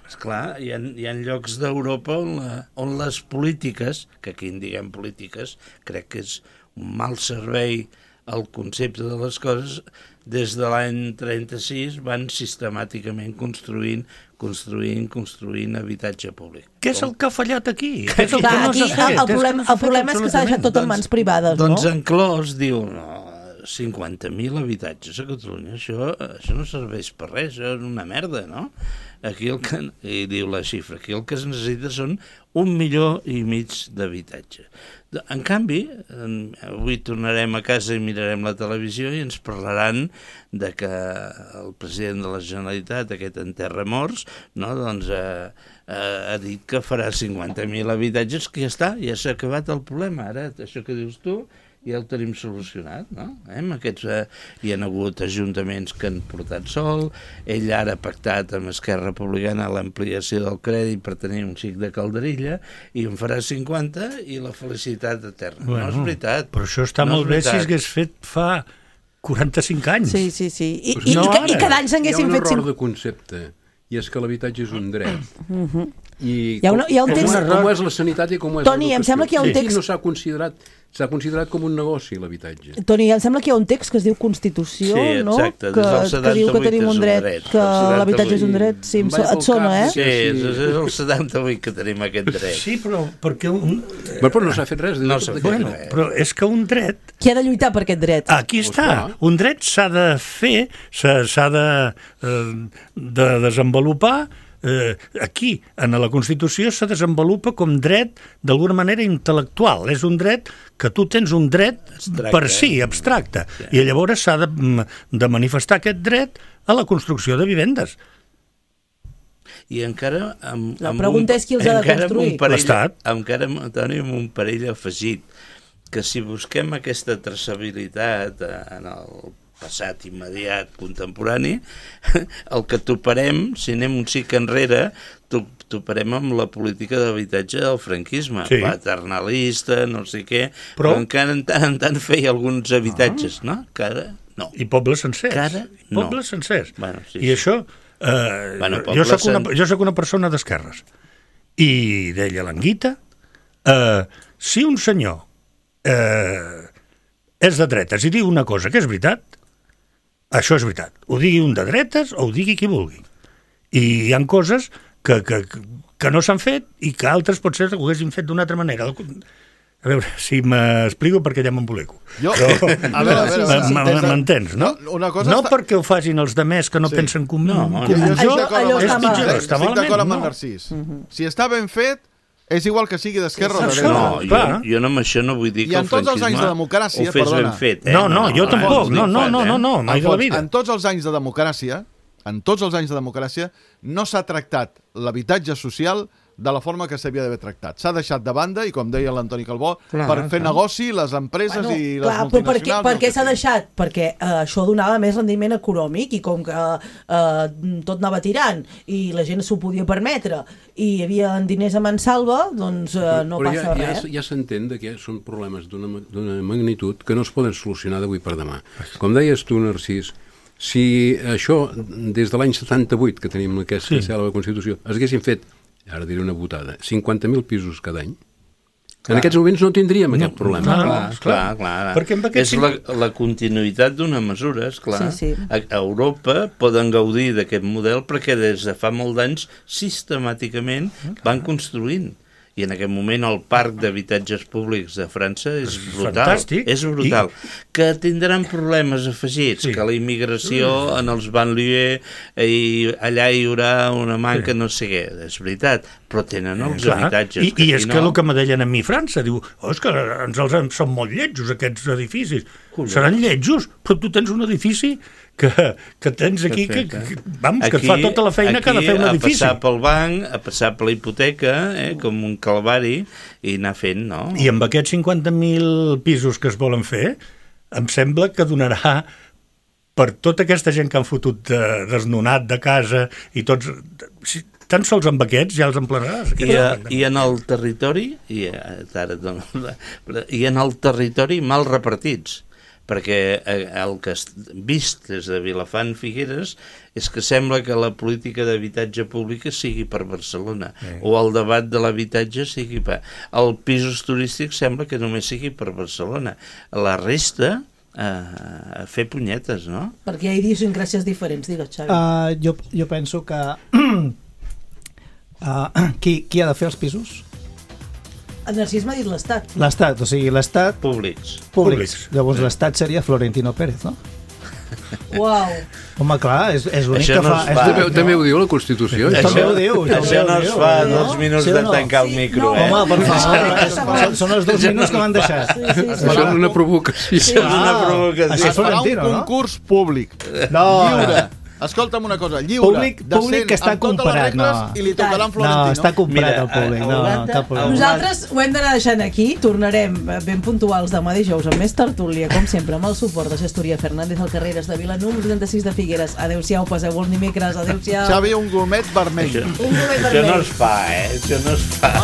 Speaker 3: Esclar, hi ha llocs d'Europa on les polítiques, que aquí en diguem polítiques, crec que és un mal servei al concepte de les coses, des de l'any 36 van sistemàticament construint habitatge públic.
Speaker 2: Què és el que ha fallat aquí?
Speaker 1: El problema és que s'ha deixat tot en mans privades, no?
Speaker 3: Doncs en Clos diu, 50.000 habitatges a Catalunya, això no serveix per res, això és una merda, no? Aquí i diu la xifra, aquí el que es necessita són 1,5 milions d'habitatge. En canvi, avui tornarem a casa i mirarem la televisió i ens parlaran de que el president de la Generalitat, aquest enterramorts, no, doncs ha dit que farà 50.000 habitatges, que ja s'ha acabat el problema. Ara, això que dius tu, ja ho tenim solucionat, no? Hi ha hagut ajuntaments que han portat sol, ell ara ha pactat amb Esquerra Republicana l'ampliació del crèdit per tenir un xic de calderilla i en farà 50 i la felicitat eterna. No és veritat.
Speaker 2: Però això està molt bé si s'hagués fet fa 45 anys.
Speaker 1: Sí. I cada any s'haguessin fet...
Speaker 7: Hi ha un error de concepte, i és que l'habitatge és un dret. I
Speaker 1: com
Speaker 7: és la sanitat i com és l'educació.
Speaker 1: Toni, em sembla que hi ha un text...
Speaker 7: No s'ha considerat com un negoci, l'habitatge.
Speaker 1: Toni, em sembla que hi ha un text que es diu Constitució, no?
Speaker 3: Sí, exacte, des del 78
Speaker 1: que diu que tenim un dret, que l'habitatge és un dret. Sí, et sona,
Speaker 3: Sí, és el 78 que tenim aquest dret.
Speaker 2: Sí, però perquè...
Speaker 7: Però no s'ha fet res.
Speaker 2: Però és que un dret...
Speaker 1: Qui ha de lluitar per aquest dret?
Speaker 2: Aquí està. Un dret s'ha de fer, s'ha de desenvolupar. Aquí, en la Constitució, se desenvolupa com dret d'alguna manera intel·lectual. És un dret que tu tens un dret per si, abstracte. I llavors s'ha de manifestar aquest dret a la construcció de vivendes.
Speaker 3: I encara...
Speaker 1: La pregunta és qui els ha de construir.
Speaker 3: L'Estat. Encara, Toni, amb un parell afegit, que si busquem aquesta traçabilitat en el passat immediat contemporani, el que toparem, si anem un xic enrere, toparem amb la política d'habitatge del franquisme, paternalista, no sé què, però encara en tant feia alguns habitatges, no? Que ara no.
Speaker 2: I pobles sencers.
Speaker 3: Que ara no.
Speaker 2: Pobles sencers.
Speaker 3: Bueno, sí,
Speaker 2: I això... jo soc una persona d'esquerres. I deia l'Anguita, si un senyor és de dretes i diu una cosa que és veritat, això és veritat. Ho digui un de dretes o ho digui qui vulgui. I hi ha coses que no s'han fet i que altres potser ho haguessin fet d'una altra manera. A veure, si m'explico perquè ja m'embolico. M'entens, no? No perquè ho facin els demés que no pensen com jo, és pitjor, està malament.
Speaker 5: Estic d'acord amb en Narcís. Si està ben fet, és igual que sigui d'esquerra o de dreta.
Speaker 3: No, jo amb això no vull dir que el franquisme ho fes ben fet.
Speaker 2: No, jo tampoc. No, mai de la vida.
Speaker 5: En tots els anys de democràcia, no s'ha tractat l'habitatge social de la forma que s'havia d'haver tractat. S'ha deixat de banda, i com deia l'Antoni Calbó, per fer negoci les empreses i les multinacionals...
Speaker 1: Per què s'ha deixat? Perquè això donava més rendiment econòmic i com que tot anava tirant i la gent s'ho podia permetre i hi havia diners a mansalva, doncs no passa res.
Speaker 7: Ja s'entén que són problemes d'una magnitud que no es poden solucionar d'avui per demà. Com deies tu, Narcís, si això, des de l'any 78, que tenim aquesta cèlebre Constitució, es haguessin fet, ara diré una botada, 50.000 pisos cada any, en aquests moments no tindríem aquest problema.
Speaker 3: Clar. És la continuïtat d'una mesura, esclar. A Europa poden gaudir d'aquest model perquè des de fa molts anys sistemàticament van construint. I en aquest moment el parc d'habitatges públics de França és brutal.
Speaker 2: Fantàstic.
Speaker 3: És brutal. Que tindran problemes afegits, que la immigració en els banlieues i allà hi haurà una manca no sé què. És veritat, però tenen els habitatges.
Speaker 2: I és que el que me deien a mi França, diu, és que són molt lletjos aquests edificis. Seran lletjos, però tu tens un edifici que tens aquí, que et fa tota la feina que ha de fer un edifici.
Speaker 3: A passar pel banc, a passar per la hipoteca, com un calvari, i anar fent, no?
Speaker 2: I amb aquests 50.000 pisos que es volen fer, em sembla que donarà per tota aquesta gent que han fotut desnonat de casa i tots... Tan sols amb aquests ja els emplenaràs.
Speaker 3: I en el territori, i en el territori mal repartits, perquè el que has vist des de Vilafant Figueres és que sembla que la política d'habitatge pública sigui per Barcelona, o el debat de l'habitatge sigui per... El pisos turístics sembla que només sigui per Barcelona. La resta... a fer punyetes, no?
Speaker 1: Perquè hi ha idiosincràcies diferents, digues, Xavi.
Speaker 4: Jo penso que qui ha de fer els pisos?
Speaker 1: El Narcís m'ha dit l'Estat.
Speaker 4: L'Estat, o sigui, l'Estat...
Speaker 3: Públics.
Speaker 4: Llavors l'Estat seria Florentino Pérez, no?
Speaker 1: Uau.
Speaker 4: Home, clar, és l'únic que fa...
Speaker 7: També ho diu la Constitució.
Speaker 4: També ho diu.
Speaker 3: Això no es fa 2 minuts de tancar el micro,
Speaker 4: Home, per favor, són els 2 minuts que m'han deixat.
Speaker 7: Això és una provocació.
Speaker 3: Això és una provocació.
Speaker 5: Es farà un concurs públic. Lliure. Escolta'm una cosa, lliure,
Speaker 4: públic que està comprat,
Speaker 5: i li tocarà en Florentino.
Speaker 4: No, està comprat el públic, no, cap problema.
Speaker 1: Nosaltres ho hem d'anar deixant aquí, tornarem ben puntuals demà dijous amb més tertúlia, com sempre, amb el suport de Gestoria Fernández al Carreres de Vila, número 36 de Figueres. Adéu-siau, passeu-vos dimecres, adéu-siau.
Speaker 5: Xavi, un gomet vermell.
Speaker 3: Això no es fa, això no es fa.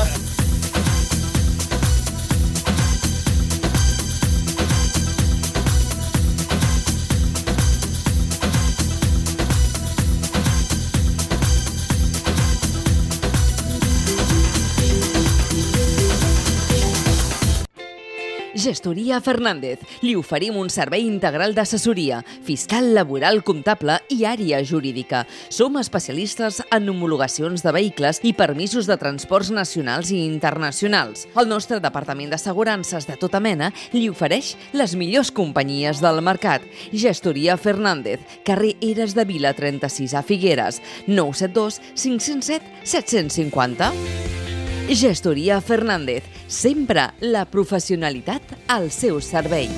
Speaker 11: Gestoria Fernández. Li oferim un servei integral d'assessoria, fiscal, laboral, comptable i àrea jurídica. Som especialistes en homologacions de vehicles i permisos de transports nacionals i internacionals. El nostre departament d'assegurances de tota mena li ofereix les millors companyies del mercat. Gestoria Fernández, carrer Eres de Vila 36 a Figueres, 972 507 750. Gestoria Fernández, sempre la professionalitat al seu servei.